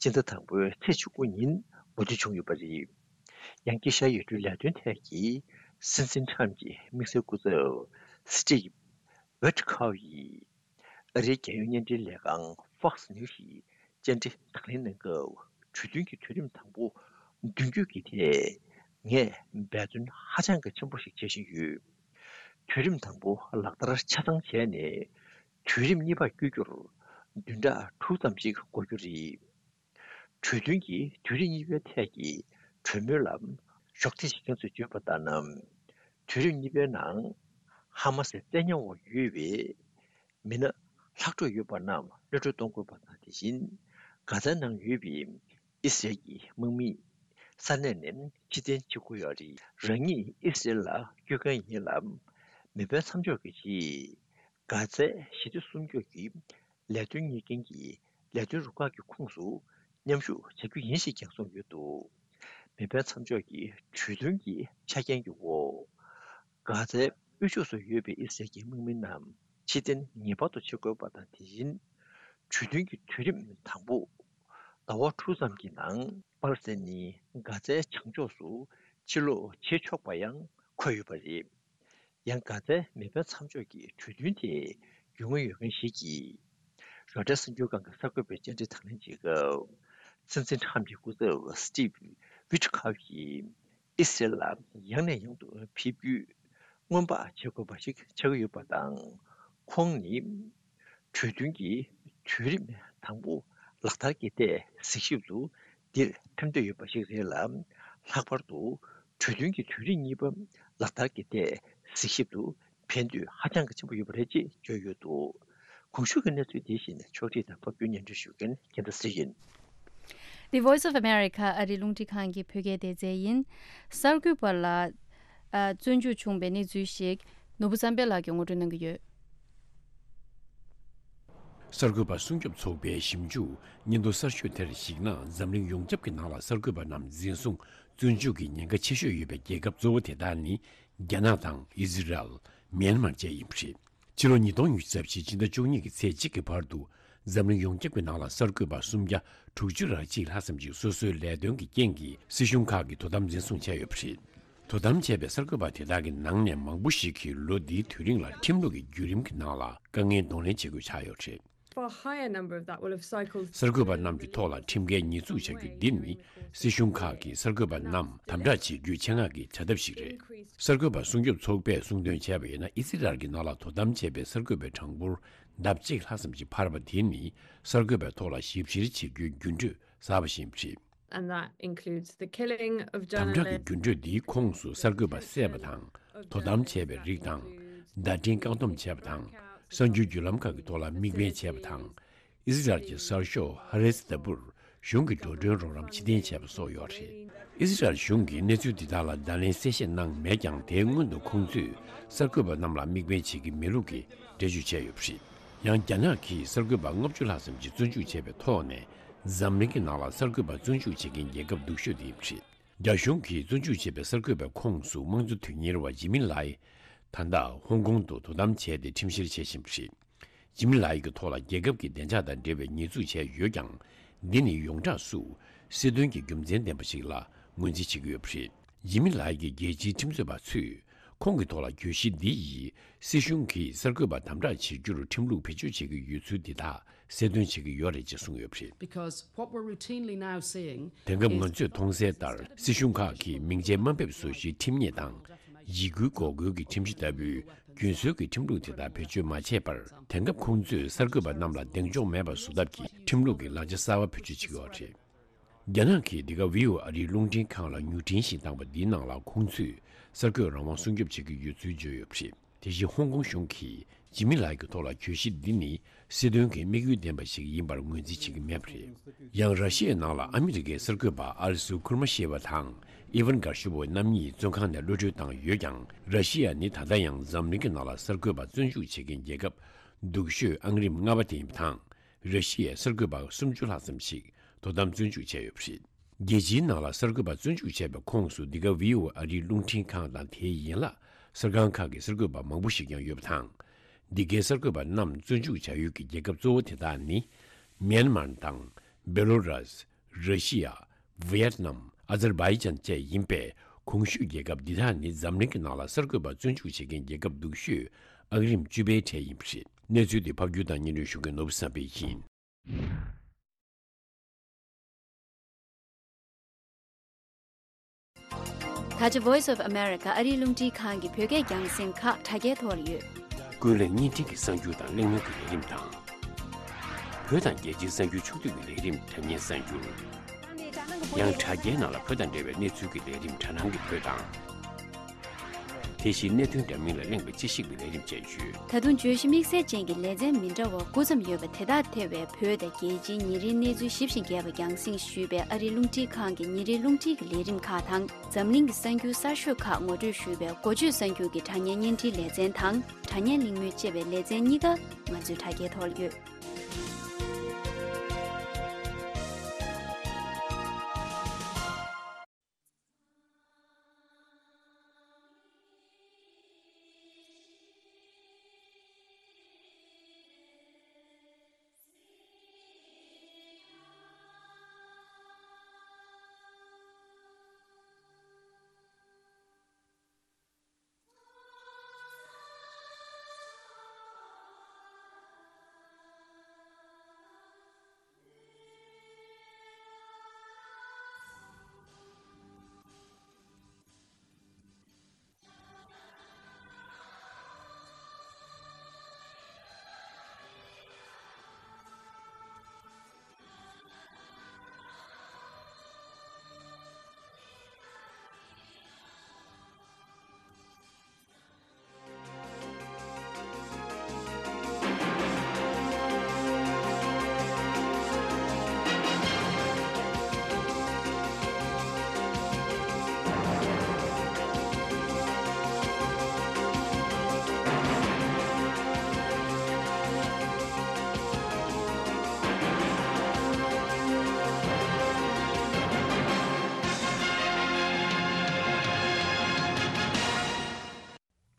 སྤྱི་ཟླ་དང་པོའི་ཚེས་བཅུ་དགུ་ཉིན་མོས་མཐུན་བྱུང་ཡོད་པ་རེད། ཡང་དཀྱིལ་ཤར་ཡུལ་གྲུའི་ལས་དོན་ཐད་ཀྱི་སྲིད་འཛིན་ཁྲམ་གྱི་དམིགས་བསལ་སྐུ་ཚབ་སི་ཊིབ་ཝིཊ་ཁོབ་ཡིས། ཨ་རིའི་རྒྱལ་ཡོངས་བརྙན་འཕྲིན་ལས་ཁང་Fox News ཞིག་བཅར་འདྲི་དང་ལེན་གནང་སྐབས། གྲོས་མཐུན་གྱི་དུས་རིམ་དང་པོ་མདུན་སྐྱོད་ཀྱི་ཐད། ངས་འབད་བརྩོན་ཧ་ཅང་གི་ཆེན་པོ་ཞིག་བྱེད་བཞིན་ཡོད། དུས་རིམ་དང་པོ་ལག་བསྟར་ཆ་ཚང་བྱས་ནས། དུས་རིམ་གཉིས་པར་བསྐྱོད་རྒྱུར་བདུན་ཕྲག་དྲུག་ཙམ་ཞིག་འགོར་རྒྱུ་རེད། གྲོས་མཐུན་གྱི་དུས་རིམ་གཉིས་པའི་ཐད་ཀྱི་གྲོས་མོལ་ལ་གཞོགས་འདེགས་བྱེད་མཁན་ཚོས་བརྗོད་པ་ལྟར་ན། དུས་རིམ་གཉིས་པའི་ནང་ཧ་མ་སིའི་བཙན་ཉར་འོག་ཡོད་པའི་མི་སྣ་ལྷག་འཕྲོ་ཡོད་པ་རྣམས་གློད་གྲོལ་གཏོང་དགོས་པ་དང་། དེ་བཞིན་གྷ་ཛའི་ནང་ཡོད་པའི་ཨི་སི་རེལ་གྱི་དམག་མི་ས་གནས་ནས་ཕྱིར་འཐེན་བྱེད་དགོས་ཡོད་རེད། རང་ཉིད་ཨི་སི་རེལ་ལ་སྐྱོད་མཁན་ཡིན་ལ། མེ་འཕེན་མཚམས་འཇོག་གི་རྗེས་གྷ་ཛའི་ཞི་བདེ་སྲུང་སྐྱོབ་ཀྱི་ལས་དོན་གཉེར་མཁན་གྱི་ལས་དོན་རུ་ཁག་གི་ཁོངས་སུ་མཉམ་ཞུགས་བྱ་རྒྱུ་ཡིན་ཞེས་ཀྱང་གསུངས་ཡོད་འདུག་མེ་འཕེན་མཚམས་འཇོག་གི་གྲོས་མཐུན་གྱི་ཆ་རྐྱེན་གྱི་འོག་གྷ་ཛའི་དབུས་ཕྱོགས་སུ་ཡོད་པའི་ཨི་སི་རེལ་གྱི་དམག་མི་རྣམས་ཕྱིར་འཐེན་ངེས་པར་དུ་བྱེད་དགོས་པ་དང་། དེ་བཞིན་གྲོས་མཐུན་གྱི་དུས་རིམ་དང་པོ་ཟླ་བ་དྲུག་ཙམ་གྱི་ནང་པ་ལི་སི་ཐན་ནི་གྷ་ཛའི་བྱང་ཕྱོགས་སུ་ཕྱིར་ལོག་བྱེད་ཆོག་པ་ཡང་འཁོད་ཡོད་པ་རེད། ཡང་གྷ་ཛའི་མེ་འཕེན་མཚམས་འཇོག་གི་གྲོས་མཐུན་དེ་རྒྱུས་མངའ་ཡོད་མཁན་ཞིག་གིས། རོའི་ཊར་གསར་འགྱུར་ཁང་གི་གསར་འགོད་པའི་བཅར་འདྲི་དང་ལེན་བྱེད་སྐབས། སྲིད་འཛིན་ཁྲམ་གྱི་སྐུ་ཚབ་སི་ཊིབ་ཝིཊ་ཁོབ་ཀྱིས་ཨི་སི་རེལ་ལ་ཡང་ནས་ཡང་དུ་ཕེབས་རྒྱུ་སྔོན་དཔག་བྱེད་དགོས་པ་ཞིག་ཆགས་ཀྱི་ཡོད་པ་དང་། ཁོང་ནི། གྲོས་མཐུན་གྱི་དུས་རིམ་དང་པོ་ལག་བསྟར་གྱི་ཐད་གཟིགས་ཞིབ་ཏུ་འདིར་ཕེབས་འདོད་ཡོད་པ་ཞིག་རེད་ལ། ལྷག་པར་དུ་གྲོས་མཐུན་གྱི་དུས་རིམ་གཉིས་པ་ལག་བསྟར་གྱི་ཐད་གཟིགས་ཞིབ་ཏུ་ཕེབས་འདོད་ཧ་ཅང་གི་ཆེན་པོ་ཡོད་པ་རེད་ཅེས་བརྗོད་ཡོད་འདུག་གོང་ཞུས་ཀྱི་གནས་ཚུལ་དེ་བཞིན་ཕྱོགས་སྒྲིག་དང་ཕབ་སྒྱུར་སྙན་སྒྲོན་ཞུ་མཁན་རྒྱལ་མཚན་ཚེ་རིང་ཡིན། The Voice of America ཨ་རིའི་རླུང་འཕྲིན་ཁང་གི་བོད་སྐད་སྡེ་ཚན་ཡིན། གསར་འགོད་པ་ལ། ཨ། བཙོན་འཇུག་བྱུང་བའི་གནས་ཚུལ་ཞིག་ནོར་བུ་བསམ་འཕེལ་ལགས་ཀྱིས་ངོ་སྤྲོད་གནང་གི་ཡོད། གསར་འགོད་པ་སྲུང་སྐྱོབ་ཚོགས་པའི་ཞིབ་འཇུག་སྙན་ཐོ་གསར་ཤོས་དེར་གཞིགས་ན། འཛམ་གླིང་ཡོངས་ཁྱབ་ཀྱི་ནང་ལ་གསར་འགོད་པ་རྣམས་འཛིན་བཟུང་བཙོན་འཇུག་གི་ཉེན་ཁ་ཆེ་ཤོས་ཡོད་པའི་རྒྱལ་ཁབ་གཙོ་བོ་དེ་དག་ནི་རྒྱ་ནག་དང་ཨི་ཟི་རལ། མེན་མར་བཅས་ཡིན་པ་རེད། ཕྱི་ལོ་ཉིས་སྟོང་ཉི་ཤུ་རྩ་བཞི་ཕྱི་ཟླ་བཅུ་གཉིས་ཀྱི་ཚེས་གཅིག་གི་བར་དུ། འཛམ་གླིང་ཡོངས་ཁྱབ་ཀྱི་ནང་ལ་གསར་འགོད་པ་སུམ་བརྒྱ་དྲུག་ཅུ་རེ་གཅིག་ལྷག་ཙམ་ཞིག་སོ་སོའི་ལས་དོན་གྱི་རྐྱེན་གྱིས་སྲིད་གཞུང་ཁག་གི་དོ་དམ་འཛིན་བཟུང་བྱས་ཡོད་པ་རེད། དོ་དམ་བྱས་པའི་གསར་འགོད་པ་དེ་དག་གི་ནང་ནས་མང་པོ་ཞིག་གིས་ལོ་འདིའི་དུས་རིང་ལ་ཁྲིམས་ལུགས་ཀྱི་བརྒྱུད་རིམ་གྱི་ནང་ལ་དཀའ་ངལ་གདོང་ལེན་བྱེད་དགོས་ཆགས་ཡོད་པ་རེད། Far higher number of that will have cycled གསར་འགོད་པ་རྣམས་ཀྱི་ཐོག་ལ་ཁྲིམས་འགལ་ཉེས་འཛུགས་བྱ་རྒྱུ་འདི་ནི་སྲིད་གཞུང་ཁག་གིས་གསར་འགོད་པ་རྣམས་དམ་དྲག་བྱེད་རྒྱུའི་ཆེད་མངགས་ཀྱི་བྱ་ཐབས་ཤིག་རེད། གསར་འགོད་པ་སྲུང་སྐྱོབ་ཚོགས་པས་གསུངས་དོན་བྱས་པ་ཡིན་ན། ཨི་སི་རལ་གྱི་ནང་ལ་དོ་དམ་བྱས་པའི་གསར་འགོད་པའི་གྲངས་འབོར་ལྡབ་གཅིག་ལྷག་ཙམ་ཞིག་འཕར་བ་དེ་ནི་གསར་འགོད་པའི་ཐོག་ལ་ཞིབ་བཤེར་བྱེད་རྒྱུའི་འགྱུར་འགྲོས་གསར་པ་ཞིག་ཡིན་པ་རེད། And that includes the killing of དམ་དྲག་གི་journalists. འགྱུར་འགྲོས་འདིའི་ཁོངས་སུ་གསར་འགོད་པ་བསད་པ་དང་། དོ་དམ་བྱས་པའི་རིགས་དང་། བརྡ་འཕྲིན་བཀག་སྡོམ་བྱས་པ་དང་། གསར་འགྱུར་བརྒྱུད་ལམ་ཁག་གི་ཐོག་ལ་དམིགས་འབེན་བྱས་པ་དང་། ཨི་སི་རལ་གྱི་གསར་ཤོག་ཧ་རེ་ཐི་ལྟ་བུར་གཞུང་གི་འགྲོ་གྲོན་རོགས་རམ་ཕྱིར་འཐེན་བྱས་པ་སོགས་ཡོད་རེད། ཨི་སི་རལ་གཞུང་གིས་གནས་ཚུལ་འདི་དག་ལ་བརྡ་ལན་གསལ་བཤད་གནང་མེད་ཀྱང་། དེའི་སྔོན་དུ་ཁོང་ཚོས་གསར་འགོད་པ་རྣམས་ལ་དམིགས་འབེན་བྱེད་ཀྱི་མེད་ལུགས་ཀྱི་འགྲེལ་བརྗོད་བྱས་ཡོད་པ་རེད། ཡང་རྒྱ་ནག་གིས་གསར་འགོད་པ་ལྔ་བཅུ་ལྷག་ཙམ་ཞིག་བཙོན་འཇུག་བྱས་པའི་ཐོག་ནས། འཛམ་གླིང་གི་ནང་ལ་གསར་འགོད་པ་བཙོན་འཇུག་བྱེད་མཁན་རྒྱལ་ཁབ་སྡུག་ཤོས་དེ་ཡིན་པ་རེད། རྒྱ་གཞུང་གིས་བཙོན་འཇུག་བྱས་པའི་གསར་འགོད་པའི་ཁོངས་སུ་དམངས་གཙོ་དོན་གཉེར་བ་ཇི་མི་ལའི། ད་ལྟ་ཧོང་ཀོང་དུ་དོ་དམ་བྱས་ཏེ་ཁྲིམས་བཤེར་བྱེད་བཞིན་པ་རེད། ཇི་མི་ལའི་གི་ཐོག་ལ་རྒྱལ་ཁབ་ཀྱི་བདེ་འཇགས་དང་འབྲེལ་བའི་ཉེས་འཛུགས་བྱས་ཡོད་ཀྱང་། འདི་ནི་ཡོངས་གྲགས་སུ་སྲིད་དོན་གྱི་རྒྱུ་མཚན་ལྡན་པ་ཞིག་ལ་ངོས་འཛིན་བྱེད་ཀྱི་ཡོད་པ་རེད། ཇི་མི་ལའི་གི་རྒྱལ་སྤྱིའི་ཁྲིམས་རྩོད་པ་ཚོས་ཁོང་གི་ཐོག་ལ་གྱོད་གཞི་འདི་ཡིས་སྲིད་གཞུང་གིས་གསར་འགོད་པ་དམ་དྲག་བྱེད་རྒྱུར་ཁྲིམས་ལུགས་བེད་སྤྱོད་བྱེད་ཀྱི་ཡོད་ཚུལ་འདི་དག་གསལ་སྟོན་བྱེད་ཀྱི་ཡོད་རེད་ཅེས་གསུངས་ཡོད་པ་རེད། Because what we're routinely now seeing དེང་སྐབས་is ང་ཚོས་མཐོང་གསལ་ལྟར། སྲིད་གཞུང་ཁག་གིས་མིང་ཆད་དམའ་འབེབས་བཟོ་གཞིའི་ཁྲིམས་ཉེས་དང་། འཇིགས་སྐུལ་འགོག་རྒོལ་གྱི་ཁྲིམས་གཞི་ལྟ་བུའི་རྒྱུན་སྲོལ་གྱི་ཁྲིམས་ལུགས་དེ་དག་བེད་སྤྱོད་མ་བྱས་པར། དེང་སྐབས་ཁོང་ཚོས་གསར་འགོད་པ་རྣམས་ལ་གདེང་འཇོག་མེད་པ་བཟོ་ཐབས་ཀྱི་ཁྲིམས་ལུགས་ཀྱི་ལག་ཆ་གསར་པ་བེད་སྤྱོད་བྱེད་ཀྱི་ཡོད་རེད། རྒྱ་ནག་གིས་འདི་ག་ཝི་ཨོ་ཨ་རིའི་རླུང་འཕྲིན་ཁང་ལ་མྱུར་འཕྲིན་ཞིག་བཏང་པ་འདིའི་ནང་ལ། ཁོང་ཚོས་གསར་འགོད་རང་དབང་སྲུང་སྐྱོབ་བྱེད་ཀྱི་ཡོད་ཚུལ་བརྗོད་ཡོད་པ་རེད། དེ་བཞིན་ཧོང་ཀོང་གཞུང་གིས་ཇི་མི་ལའི་གི་ཐོག་ལ་གྱོད་གཞི་འདི་ནི་སྲིད་དོན་གྱི་དམིགས་ཡུལ་ལྡན་པ་ཞིག་ཡིན་པར་ངོས་འཛིན་བྱེད་ཀྱི་མེད་པ་རེད། ཡང་ར་ཤི་ཡའི་ནང་ལ་ཨ་མི་རི་ཀའི་གསར་འགོད་པ་ཨལ་སུ་ཁུར་མ་ཤེ་ཝ་དང་ཨི་ཝན་གར་ཤི་བོ་རྣམ་གཉིས་བཙོན་ཁང་ནས་གློད་གྲོལ་བཏང་ཡོད་ཀྱང་། ར་ཤི་ཡ་ནི་ད་ལྟ་ཡང་འཛམ་གླིང་གི་ནང་ལ་གསར་འགོད་པ་བཙོན་འཇུག་བྱེད་མཁན་རྒྱལ་ཁབ་སྡུག་ཤོས་ཨང་རིམ་ལྔ་པ་དེ་ཡིན་པ་དང་། ར་ཤི་ཡས་གསར་འགོད་པ་སུམ་ཅུ་ལྷག་ཙམ་ཞིག་དོ་དམ་བཙོན་འཇུག་བྱས་ཡོད་པ་རེད། རྒྱལ་སྤྱིའི་ནང་ལ་གསར་འགོད་པ་བཙོན་འཇུག་བྱས་པའི་ཁོངས་སུ་འདི་ག་ཝི་ཨོ་ཨ་རིའི་རླུང་འཕྲིན་ཁང་དང་། དེའི་ཡན་ལག་གསར་ཁང་ཁག་གི་གསར་འགོད་པ་མང་པོ་ཞིག་ཀྱང་ཡོད་པ་དང་། འདི་གའི་གསར་འགོད་པ་རྣམས་བཙོན་འཇུག་བྱ་ཡུལ་གྱི་རྒྱལ་ཁབ་གཙོ་བོ་དེ་དག་ནི། མེན་མར་དང་། བེ་ལོ་རཱས། ར་ཤི་ཡ། ཝི་ཡེད་ནམ། ཨ་ཛར་བྷའི་ཇན་བཅས་ཡིན་པས། གོང་ཞུས་རྒྱལ་ཁབ་འདི་དག་ནི་འཛམ་གླིང་གི་ནང་ལ་གསར་འགོད་པ་བཙོན་འཇུག་བྱེད་མཁན་རྒྱལ་ཁབ་སྡུག་ཤོས་ཨང་རིམ་བཅུ་པའི་གྲས་ཡིན་པ་རེད། གནས་ཚུལ་འདི་ཕབ་སྒྱུར་དང་སྙན་སྒྲོན་ཞུ་མཁན་ནོར་བུ་བསམ་འཕེལ་ཡིན། ད་ཆ་Voice of America ཨ་རིའི་རླུང་འཕྲིན་ཁང་གི་བོད་སྐད་རྒྱང་སྲིང་ཁག་དྲ་རྒྱའི་ཐོག་ལ་ཡོད། ཀུན་གླེང་བརྙན་འཕྲིན་གྱི་གསར་འགྱུར་དང་གླེང་མོལ་གྱི་ལས་རིམ་དང་། བོད་དང་རྒྱལ་སྤྱིའི་གསར་འགྱུར་ཕྱོགས་བསྡུས་ཀྱི་ལས་རིམ་དྲ་བརྙན་གསར་འགྱུར། ཡང་དྲ་རྒྱའི་ནང་ལ་བོད་དང་འབྲེལ་བའི་གནས་ཚུལ་གྱི་ལས་རིམ་དྲ་སྣང་གི་བོད་དང་། དེ་བཞིན་གནད་དོན་འདྲ་མིན་ལ་གླེང་བའི་དཔྱད་ཞིབ་ཀྱི་ལས་རིམ་བཅས་ཡོད། ད་དུང་བརྗོད་གཞི་དམིགས་བསལ་ཅན་གྱི་ལེ་ཚན་མི་འདྲ་བ་དགུ་ཙམ་ཡོད་པ་དེ་དག་ཐེ་བའི་བོད་དང་རྒྱལ་སྤྱིའི་ཉིན་རེའི་གནས་ཚུལ་ཞིབ་ཅིང་རྒྱས་པ་རྒྱང་སྲིང་ཞུས་པའི་ཨ་རིའི་རླུང་འཕྲིན་ཁང་གི་ཉིན་རེའི་རླུང་འཕྲིན་གྱི་ལས་རིམ་ཁག་དང་། འཛམ་གླིང་གི་གསར་འགྱུར་གསར་ཤོས་ཁག་ངོ་སྤྲོད་ཞུས་པའི་འགོ་བརྗོད་གསར་འགྱུར་གྱི་དྲ་བརྙན་བརྙན་འཕྲིན་ལེ་ཚན་དང་། དྲ་བརྙན་གླེང་མོལ་ཅེས་པའི་ལེ་ཚན་གཉིས་ཀ་ང་ཚོའི་དྲ་རྒྱའི་ཐོག་ལ་ཡོད།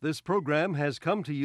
This program has come to you